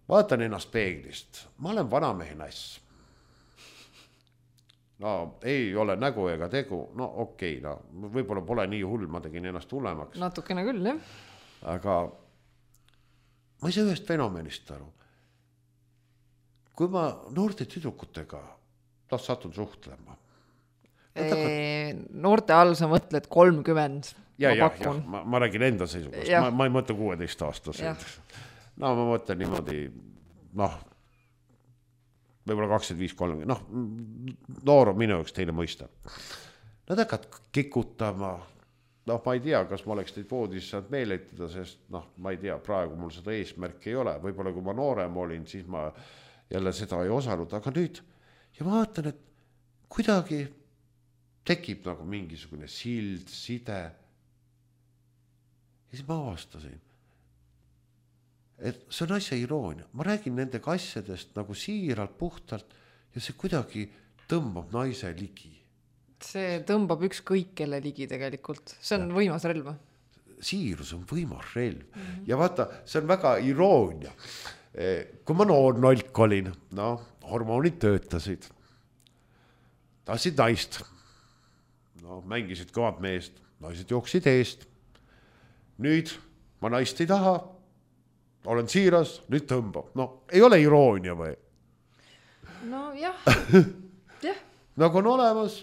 Vaatan ennast peeglist. Ma olen vanamehe nass. No ei ole nägu ega tegu. No okei, okay, no võib-olla pole nii hull, ma tegin ennast hullemaks. Natukene küll, jah. Aga ma ei saa ühest fenomenist aru. Kui ma noorte tüdrukutega noh, satun suhtlema. Eee, noorte all sa mõtled kolmkümmend. Ja, ja, ja, ma, ma räägin enda seisukast, ma, ma ei mõtle kuueteist aastaseid. No ma mõtlen niimoodi, noh, võib-olla kakskümmend viis kolmkümmend, noh, noor on minu jaoks teine mõista. Nad hakkad kikutama, noh, ma ei tea, kas ma oleks teid voodis saanud meeletada, sest noh, ma ei tea, praegu mul seda eesmärki ei ole, võib-olla kui ma noorem olin, siis ma jälle seda ei osanud, aga nüüd, ja ma vaatan, et kuidagi tekib nagu mingisugune sild, side. Ja siis ma avastasin, et see on asja iroonia. Ma räägin nendega asjadest nagu siiralt, puhtalt ja see kuidagi tõmbab naise ligi. See tõmbab üks kõik kelle ligi tegelikult. See on ja. Võimas relv. Siirus on võimas relv. Mm-hmm. Ja vaata, see on väga iroonia. Kui ma noor nolk olin, no, hormoonid töötasid. Tahtsid naist. No, mängisid kõvad meest. Naised jooksid eest. Nüüd ma naist ei taha, olen siiras, nüüd tõmbab. No, ei ole iroonia või? No jah, jah. Nagu on olemas,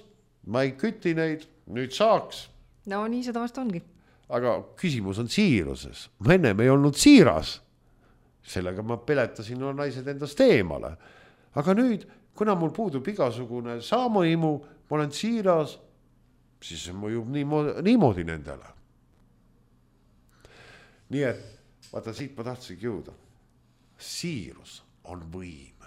ma ei küti neid, nüüd saaks. No nii seda vast ongi. Aga küsimus on siiruses. Ma ennem ei olnud siiras. Sellega ma peletasin no naised endast eemale. Aga nüüd, kuna mul puudub igasugune saamaimu, ma olen siiras, siis see mõjub niimoodi, niimoodi nendele. Nii et, vaata siit ma tahtsingi jõuda. Siirus on võim.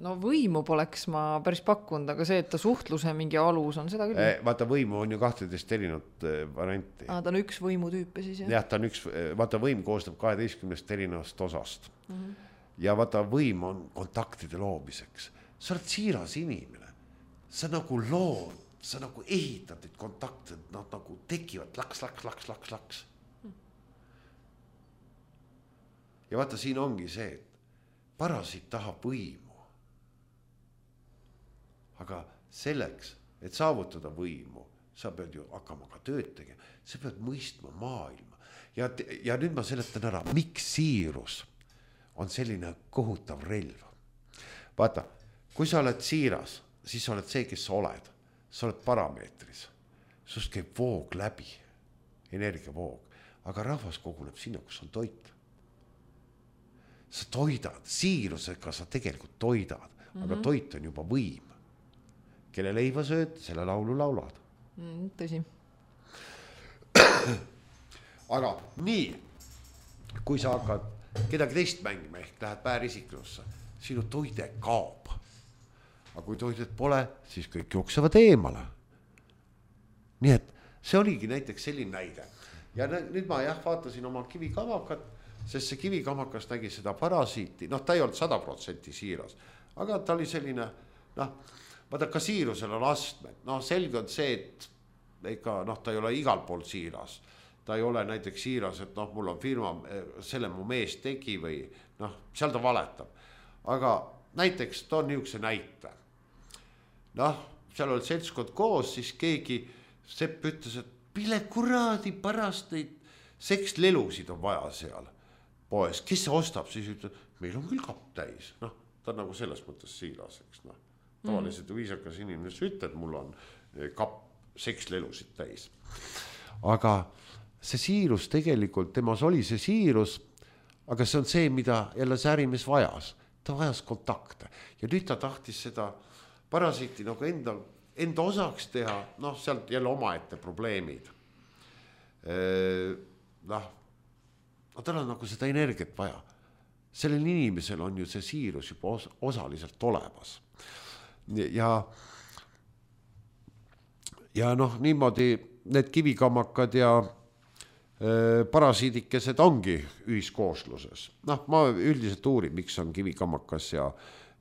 No võimu poleks ma päris pakkunud, aga see, et ta suhtluse mingi alus on seda küll. Eh, vaata võimu on ju kahteteist erinevat varianti. Ah, ta on üks võimu tüüpe siis, jah? Jah, ta on üks, vaata võim koostab kaheteistkümnest erinevast osast. Mm-hmm. Ja vaata võim on kontaktide loomiseks. Sa oled siiras inimene. Sa nagu lood. Sa nagu ehitad neid kontakte, nad nagu tekivad laks, laks, laks, laks, laks. Ja vaata, siin ongi see, et parasiit tahab võimu. Aga selleks, et saavutada võimu, sa pead ju hakkama ka tööd tegema. Sa pead mõistma maailma. Ja, ja nüüd ma seletan ära, miks siirus on selline kohutav relv. Vaata, kui sa oled siiras, siis sa oled see, kes sa oled. Sa oled parameetris, sust käib voog läbi, energiavoog, aga rahvas koguneb sinna, kus on toit. Sa toidad, siirusega sa tegelikult toidad, mm-hmm. aga toit on juba võim. Kelle leiva sööd, selle laulu laulad. Mm, tõsi. Aga nii, kui sa hakkad kedagi teist mängima, ehk lähed päärisiklusse, sinu toide kaob. Aga kui toidet pole, siis kõik jooksevad eemale. Nii et see oligi näiteks selline näide. Ja nüüd ma jah vaatasin oma kivikamakat, sest see kivikamakas nägi seda parasiiti. Noh, ta ei olnud sada protsenti siiras, aga ta oli selline, noh, vaata ka siirusel on astmed, noh selge on see, et ega noh, ta ei ole igal pool siiras, ta ei ole näiteks siiras, et noh, mul on firma, selle mu mees tegi või noh, seal ta valetab, aga näiteks toon niisuguse näite, noh, seal olid seltskond koos, siis keegi Sepp ütles, et mille kuradi pärast neid sekslelusid on vaja seal poes, kes see ostab, siis ütleb, meil on küll kapp täis, noh, ta on nagu selles mõttes siiras, eks noh, tavaliselt mm. viisakas inimene ütleb, et mul on kapp sekslelusid täis, aga see siirus tegelikult, temas oli see siirus, aga see on see, mida jälle see ärimees vajas, ta vajas kontakte ja nüüd ta tahtis seda parasiiti nagu enda, enda osaks teha, noh, sealt jälle omaette probleemid. Noh, no tal on nagu seda energiat vaja. Sellel inimesel on ju see siirus juba os osaliselt olemas. Ja, ja noh, niimoodi need kivikammakad ja parasiidikesed ongi ühiskoosluses. Noh, ma üldiselt uurin, miks on kivikammakas ja,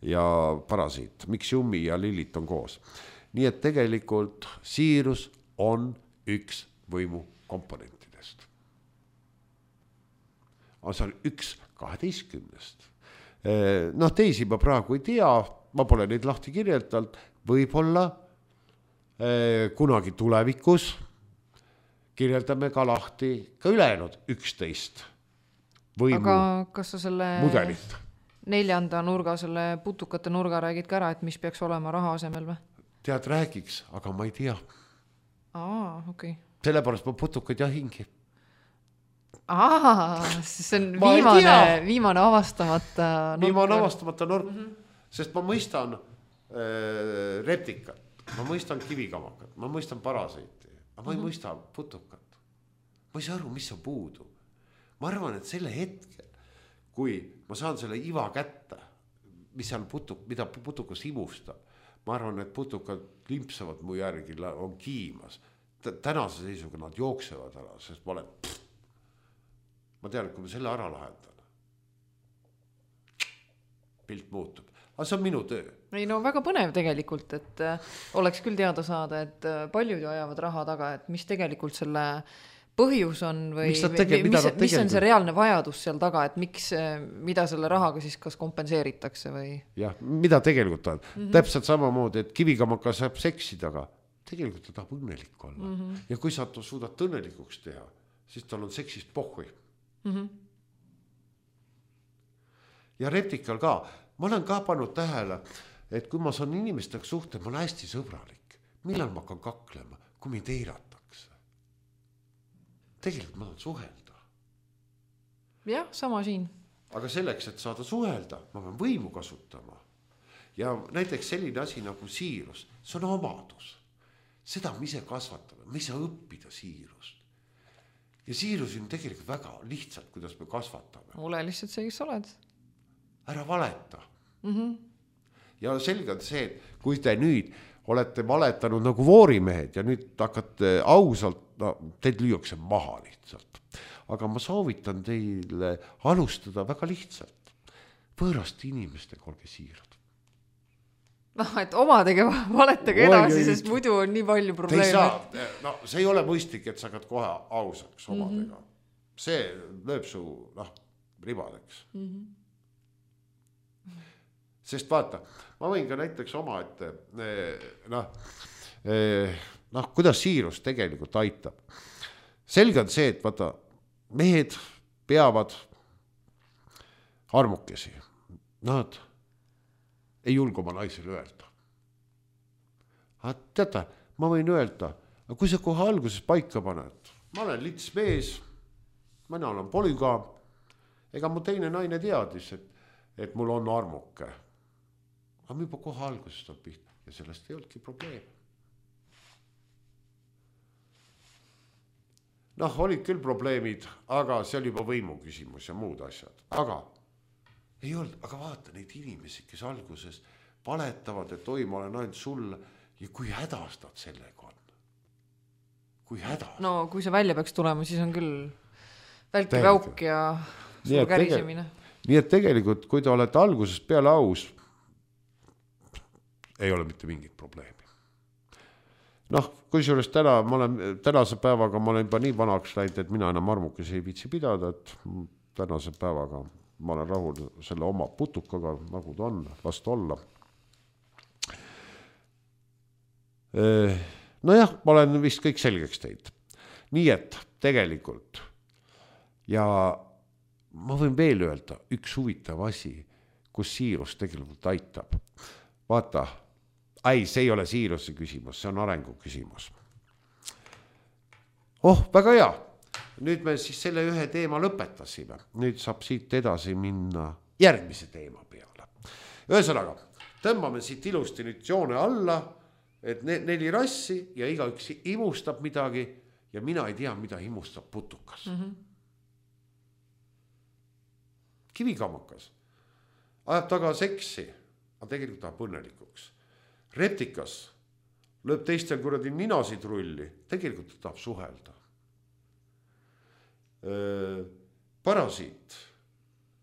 ja parasiit, miks Jummi ja Lillit on koos. Nii et tegelikult siirus on üks võimu komponentidest. On seal üks kaheteistkümnest. Noh, teisi ma praegu ei tea, ma pole neid lahti kirjeldanud, võib-olla kunagi tulevikus kirjeldame ka lahti ka ülejäänud üksteist võimu aga kas sa selle mudelit. Neljanda nurga, selle putukate nurga räägid ka ära, et mis peaks olema raha asemel või? Tead, räägiks, aga ma ei tea. Aa, okei. Okay. Sellepärast ma putukaid jahingi. Aa, see on viimane, viimane avastamata nurk. Viimane avastamata nurk, mm -hmm. sest ma mõistan äh, reptikat, ma mõistan kivikamakat, ma mõistan parasiiti. Aga ma ei mm -hmm. mõista putukat. Ma ei saa aru, mis on puudu. Ma arvan, et selle hetkel, kui ma saan selle iva kätte, mis seal putuk, mida putukas imustab, ma arvan, et putukad limpsavad mu järgi, on kiimas. Tänase seisuga nad jooksevad ära, sest ma olen, pff, ma tean, et kui ma selle ära lahendan, pilt muutub. Aga see on minu töö. Ei no väga põnev tegelikult, et äh, oleks küll teada saada, et äh, paljud ju ajavad raha taga, et mis tegelikult selle põhjus on või tege, mis, mis, mis on see reaalne vajadus seal taga, et miks, mida selle rahaga siis kas kompenseeritakse või? Jah, mida tegelikult on. Mm -hmm. Täpselt samamoodi, et kivikamaka saab seksida, aga tegelikult ta tahab õnnelik olla. Mm -hmm. Ja kui sa suudad õnnelikuks teha, siis tal on seksist pohhui. Mm -hmm. Ja reptikal ka. Ma olen ka pannud tähele, et kui ma saan inimestega suhte, ma olen hästi sõbralik. Millal ma hakkan kaklema, kui mind eiratakse? Tegelikult ma tahan suhelda. Jah, sama siin. Aga selleks, et saada suhelda, ma pean võimu kasutama. Ja näiteks selline asi nagu siirus, see on omadus. Seda me ise kasvatame, me ei saa õppida siirust. Ja siirus on tegelikult väga lihtsalt, kuidas me kasvatame. Ole lihtsalt see, kes oled. Ära valeta. Mm-hmm. Ja selge on see, et kui te nüüd olete valetanud nagu voorimehed ja nüüd hakkate ausalt, no, teid lüüakse maha lihtsalt. Aga ma soovitan teile alustada väga lihtsalt. Võõraste inimestega olge siirad. noh, et omadega valetage edasi, Oi, sest muidu on nii palju probleeme. Saa, no, see ei ole mõistlik, et sa hakkad kohe ausaks omadega. Mm -hmm. See lööb su noh, ribadeks. Mm -hmm. Sest vaata, ma võin ka näiteks oma, et noh, noh, kuidas siirus tegelikult aitab. Selge on see, et vaata, mehed peavad armukesi. Nad ei julgu oma naisele öelda. Aga teata, ma võin öelda, aga kui sa kohe alguses paika paned, ma olen lits mees, mina olen polügaam, ega mu teine naine teadis, et, et mul on armuke. Aga juba kohe alguses on pihta ja sellest ei olnudki probleem. Noh, olid küll probleemid, aga see oli juba võimu küsimus ja muud asjad. Aga ei olnud, aga vaata neid inimesi, kes alguses valetavad, et oi, ma olen ainult sulle ja kui hädas nad sellega on. Kui hädas. No kui see välja peaks tulema, siis on küll välki väuk ja suur kärisemine. Nii et tegelikult, kui te olete algusest peale aus, ei ole mitte mingit probleemi. Noh, kusjuures täna, ma olen, tänase päevaga ma olen juba nii vanaks läinud, et mina enam armukesi ei viitsi pidada, et tänase päevaga ma olen rahul selle oma putukaga, nagu ta on, last olla. Nojah, ma olen vist kõik selgeks teinud. Nii et tegelikult ja ma võin veel öelda üks huvitav asi, kus siirus tegelikult aitab. Vaata, ei, see ei ole siiruse küsimus, see on arengu küsimus. Oh, väga hea. Nüüd me siis selle ühe teema lõpetasime. Nüüd saab siit edasi minna järgmise teema peale. Ühesõnaga, tõmbame siit ilusti nüüd joone alla, et neli rassi ja igaüks imustab midagi ja mina ei tea, mida imustab putukas. Mm-hmm. Kivikamakas ajab taga seksi, aga tegelikult tahab õnnelikuks. Reptikas lööb teistel kuradi ninasid rulli, tegelikult tahab suhelda. Parasiit,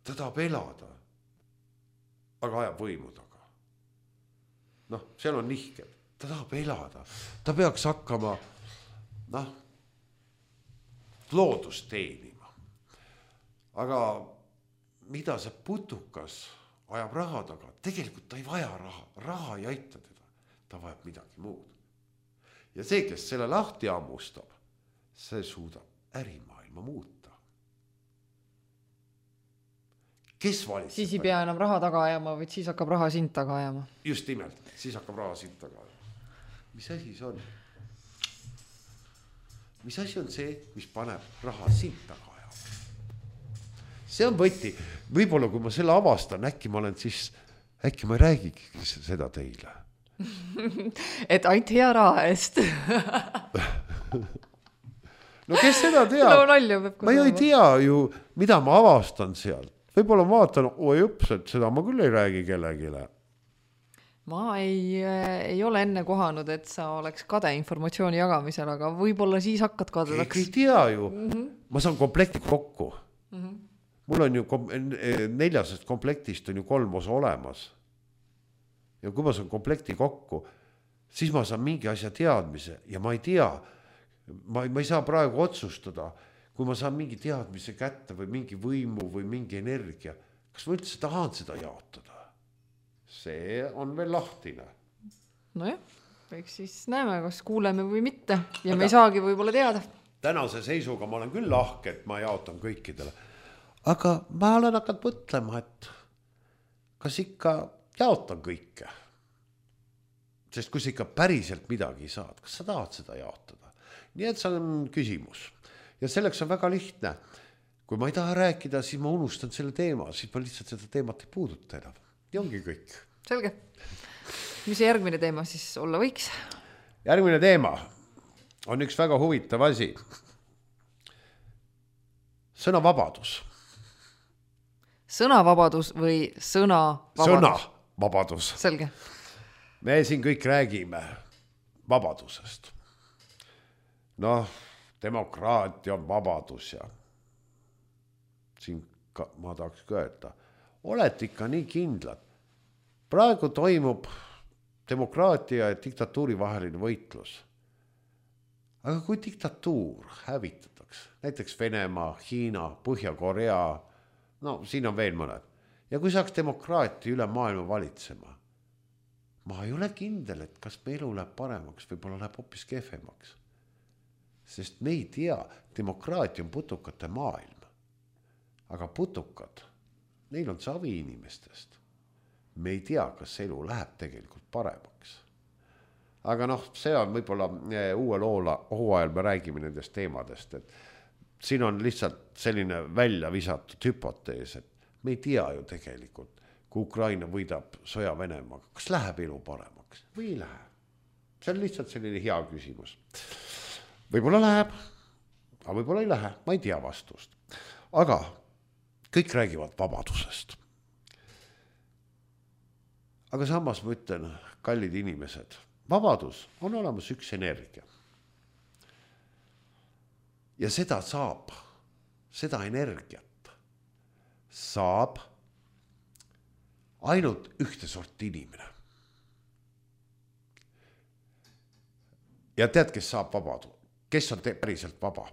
ta tahab elada, aga ajab võimu taga. Noh, seal on nihked, ta tahab elada, ta peaks hakkama noh, loodust teenima. Aga mida see putukas ajab raha taga, tegelikult ta ei vaja raha, raha ei aita teda, ta vajab midagi muud. Ja see, kes selle lahti ammustab, see suudab ärimaailma muuta. Kes valitseb? Siis ei pea enam raha taga ajama, vaid siis hakkab raha sind taga ajama. Just nimelt, siis hakkab raha sind taga ajama. Mis asi see on? Mis asi on see, mis paneb raha sind taga ajama? See on võti. Võib-olla kui ma selle avastan, äkki ma olen siis, äkki ma ei räägigi seda teile. Et ainult hea raha eest. No kes seda teab? No, nalju, ma ju ei tea ju, mida ma avastan sealt. Võib-olla ma vaatan, oi õps, et seda ma küll ei räägi kellegile. Ma ei, ei ole enne kohanud, et sa oleks kade informatsiooni jagamisel, aga võib-olla siis hakkad kadedaks. Keegi ei tea ju. Mm-hmm. Ma saan komplekti kokku. Mm-hmm. Mul on ju kom- neljasest komplektist on ju kolm osa olemas. Ja kui ma saan komplekti kokku, siis ma saan mingi asja teadmise ja ma ei tea, ma, ma ei saa praegu otsustada, kui ma saan mingi teadmise kätte või mingi võimu või mingi energia, kas ma üldse tahan seda jaotada? See on veel lahtine. Nojah, eks siis näeme, kas kuuleme või mitte ja aga me ei saagi võib-olla teada. Tänase seisuga ma olen küll lahke, et ma jaotan kõikidele. Aga ma olen hakanud mõtlema, et kas ikka jaotan kõike. Sest kui sa ikka päriselt midagi saad, kas sa tahad seda jaotada? Nii et see on küsimus. Ja selleks on väga lihtne. Kui ma ei taha rääkida, siis ma unustan selle teema, siis ma lihtsalt seda teemat ei puuduta enam. Ja ongi kõik. Selge. Mis see järgmine teema siis olla võiks? Järgmine teema on üks väga huvitav asi. Sõnavabadus. Sõnavabadus või sõnavabadus? Sõnavabadus. Selge. Me siin kõik räägime vabadusest. Noh, demokraatia on vabadus ja siin ka, ma tahaks öelda, oled ikka nii kindlad. Praegu toimub demokraatia ja diktatuuri vaheline võitlus. Aga kui diktatuur hävitatakse, näiteks Venemaa, Hiina, Põhja-Korea, no siin on veel mõned, ja kui saaks demokraatia üle maailma valitsema, ma ei ole kindel, et kas me elu läheb paremaks, võib-olla läheb hoopis kehvemaks. Sest me ei tea, demokraatia on putukate maailm. Aga putukad, neil on savi inimestest. Me ei tea, kas elu läheb tegelikult paremaks. Aga noh, see on võib-olla uue loola, hooajal me räägime nendest teemadest, et siin on lihtsalt selline välja visatud hüpotees, et me ei tea ju tegelikult, kui Ukraina võidab sõja Venemaaga, kas läheb elu paremaks või ei lähe. See on lihtsalt selline hea küsimus. Võib-olla läheb, aga võib-olla ei lähe, ma ei tea vastust. Aga kõik räägivad vabadusest. Aga samas ma ütlen, kallid inimesed, vabadus on olemas üks energia. Ja seda saab, seda energiat saab ainult ühte sorti inimene. ja tead, kes saab vabadu? Kes on te- päriselt vaba?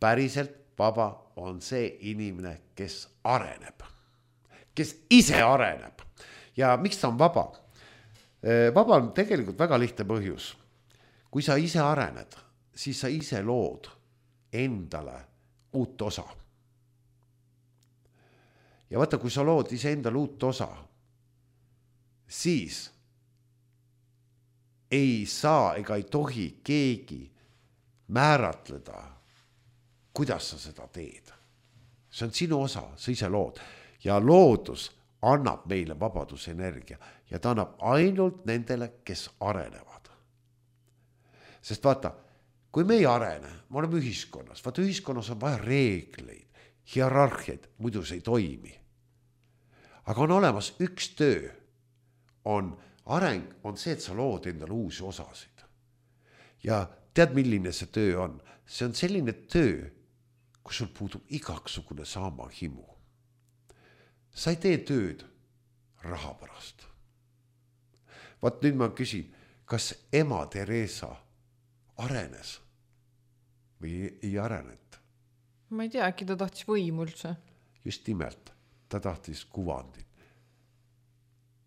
Päriselt vaba on see inimene, kes areneb, kes ise areneb. Ja miks ta on vaba? Vaba on tegelikult väga lihtne põhjus. Kui sa ise arened, siis sa ise lood endale uut osa. Ja vaata, kui sa lood ise endale uut osa, siis ei saa ega ei tohi keegi määratleda, kuidas sa seda teed. See on sinu osa, sa ise lood. Ja loodus annab meile vabadusenergia ja ta annab ainult nendele, kes arenevad. Sest vaata, kui me ei arene, me oleme ühiskonnas, vaata ühiskonnas on vaja reegleid, hierarhiaid, muidu see ei toimi. Aga on olemas üks töö, on areng, on see, et sa lood endale uusi osasid. Ja tead, milline see töö on? See on selline töö, kus sul puudub igaksugune sama himu. Sa ei tee tööd raha pärast. Vaat nüüd ma küsin, kas ema Teresa arenes või ei arenet? Ma ei tea, äkki ta tahtis võimu üldse. Just nimelt, ta tahtis kuvandit.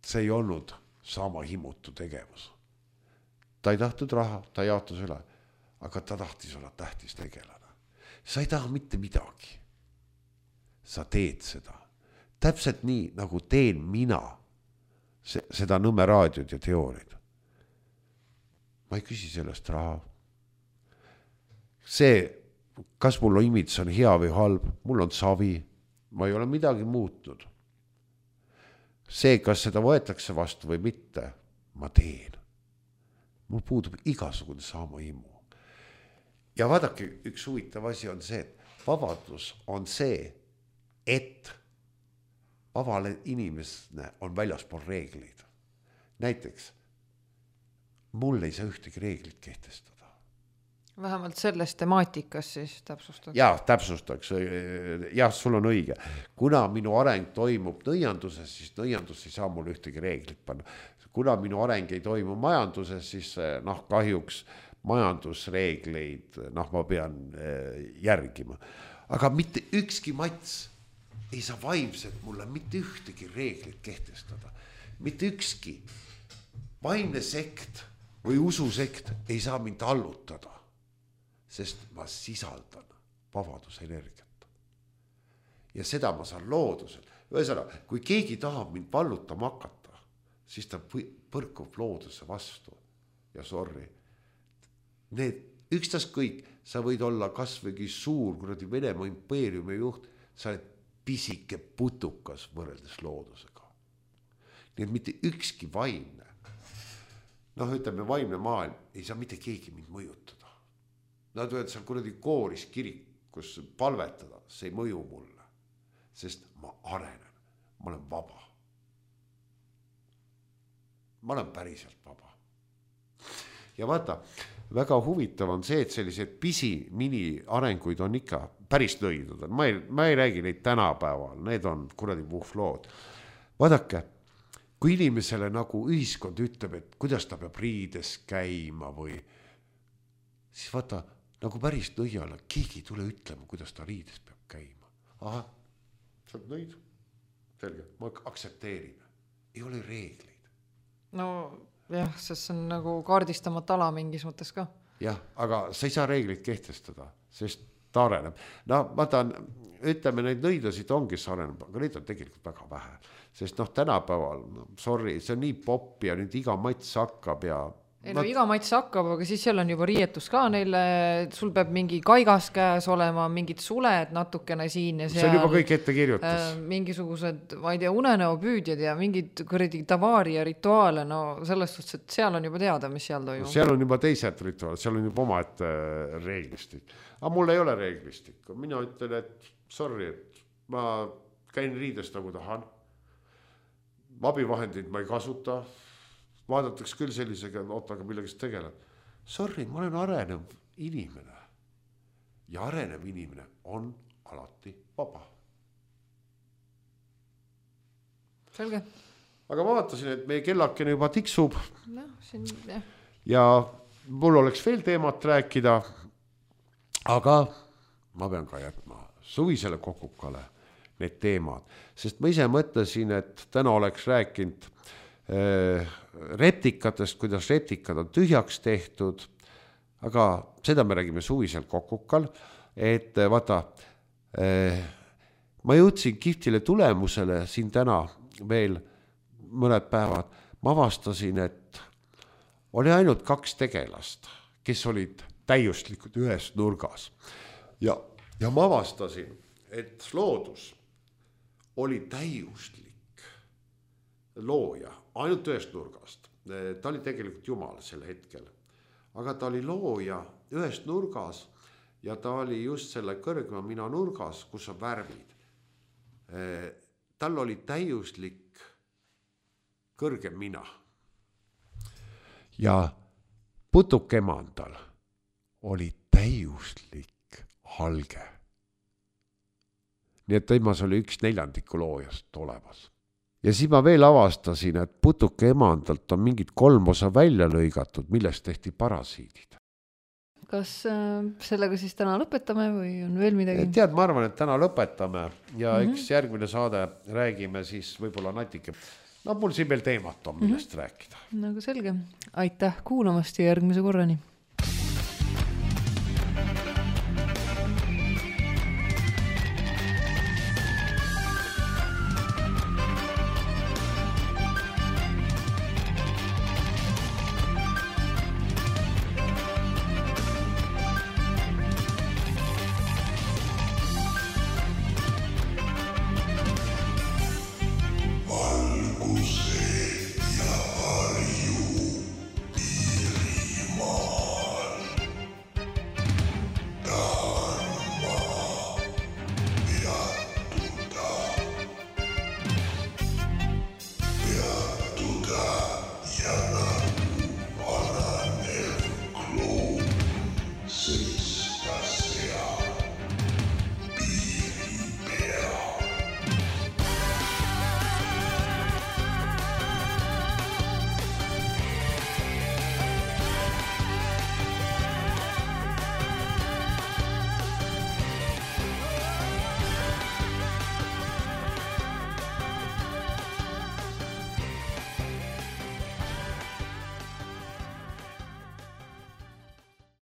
See ei olnud sama himutu tegevus. Ta ei tahtnud raha, ta jaotus üle, aga ta tahtis olla tähtis tegelane. Sa ei taha mitte midagi. Sa teed seda. Täpselt nii, nagu teen mina seda Nõmme raadiot ja teooriad. Ma ei küsi sellest raha. See, kas mul imits on hea või halb, mul on savi, ma ei ole midagi muutnud. See, kas seda võetakse vastu või mitte, ma teen. Mul puudub igasugune sama himu. Ja vaadake, üks huvitav asi on see, et vabadus on see, et vabale inimesne on väljaspool reegleid. Näiteks, mul ei saa ühtegi reeglit kehtestada. Vähemalt selles temaatikas siis täpsustaks. Jah, täpsustaks. Jah, sul on õige. Kuna minu areng toimub nõianduses, siis nõiandus ei saa mul ühtegi reeglit panna. Kuna minu areng ei toimu majanduses, siis noh, kahjuks majandusreegleid noh, ma pean järgima. Aga mitte ükski mats ei saa vaimselt mulle mitte ühtegi reeglit kehtestada. Mitte ükski vaimne sekt või ususekt ei saa mind allutada, sest ma sisaldan vabadusenergiat. Ja seda ma saan looduselt. Ühesõnaga, kui keegi tahab mind vallutama hakata, siis ta põrkub looduse vastu. Ja sorry, need ükstas kõik, sa võid olla kasvõigi suur, kuradi Venemaa impeeriumi juht, sa oled pisike putukas võrreldes loodusega. Nii et mitte ükski vaimne, noh ütleme vaimne maailm, ei saa mitte keegi mind mõjutada. Nad võivad seal kuradi kooris kirikus palvetada, see ei mõju mulle, sest ma arenen, ma olen vaba. Ma olen päriselt vaba. Ja vaata, väga huvitav on see, et sellised pisi mini arenguid on ikka päris nõidud. Ma ei, ma ei räägi neid tänapäeval, need on kuradi puhvlood. Vaadake, kui inimesele nagu ühiskond ütleb, et kuidas ta peab riides käima või siis vaata, nagu päris nõiale, keegi tule ütlema, kuidas ta riides peab käima. Aha, sa oled nõid. Selge, ma aksepteerin. Ei ole reegleid. No jah, sest see on nagu kaardistamata ala mingis mõttes ka. Jah, aga sa ei saa reegleid kehtestada, sest ta areneb. No ma tahan, ütleme, neid nõidasid on, kes areneb, aga neid on tegelikult väga vähe. Sest noh, tänapäeval, sorry, see on nii pop ja nüüd iga mats hakkab ja... Ei, no, iga mats hakkab, aga siis seal on juba riietus ka neile, sul peab mingi kaigas käes olema, mingid suled natukene siin ja seal. See on juba kõik ette kirjutas. Äh, mingisugused, ma ei tea, unenäopüüdjad ja mingid kõredi tavaari ja rituaale, no selles suhtes, et seal on juba teada, mis seal toimub. Seal on juba teised rituaalid, seal on juba oma ette reeglistik. Aga mul ei ole reeglistik. Mina ütlen, et sorry, et ma käin riides nagu tahan. Abivahendid ma ei kasuta. Vaadatakse küll sellisega, ootaga millegist tegeleb. Sorry, ma olen arenev inimene. Ja arenev inimene on alati vaba. Selge. Aga ma vaatasin, et meie kellakene juba tiksub. No, siin, jah. Ja mul oleks veel teemat rääkida, aga ma pean ka jätma suvisele kokukale need teemad, sest ma ise mõtlesin, et täna oleks rääkinud äh, retikatest, kuidas retikad on tühjaks tehtud, aga seda me räägime suvisel kokukal, et vaata, äh, ma jõudsin kihvtile tulemusele siin täna veel mõned päevad, ma avastasin, et oli ainult kaks tegelast, kes olid täiuslikud ühes nurgas ja, ja ma avastasin, et loodus oli täiuslik looja ainult ühest nurgast. Ta oli tegelikult Jumal sel hetkel, aga ta oli looja ühest nurgas ja ta oli just selle kõrgema mina nurgas, kus on värvid. Tal oli täiuslik kõrgem mina. Ja putukemandal oli täiuslik halge. Nii et temas oli üks neljandiku loojast olemas. Ja siis ma veel avastasin, et putuke emandalt on mingid kolm osa välja lõigatud, millest tehti parasiidid. Kas äh, sellega siis täna lõpetame või on veel midagi? Tead, ma arvan, et täna lõpetame ja mm-hmm. eks järgmine saade räägime siis võib-olla natuke. No mul siin veel teemat on, millest mm-hmm. rääkida. Nagu selge. Aitäh kuulamast ja järgmise korrani.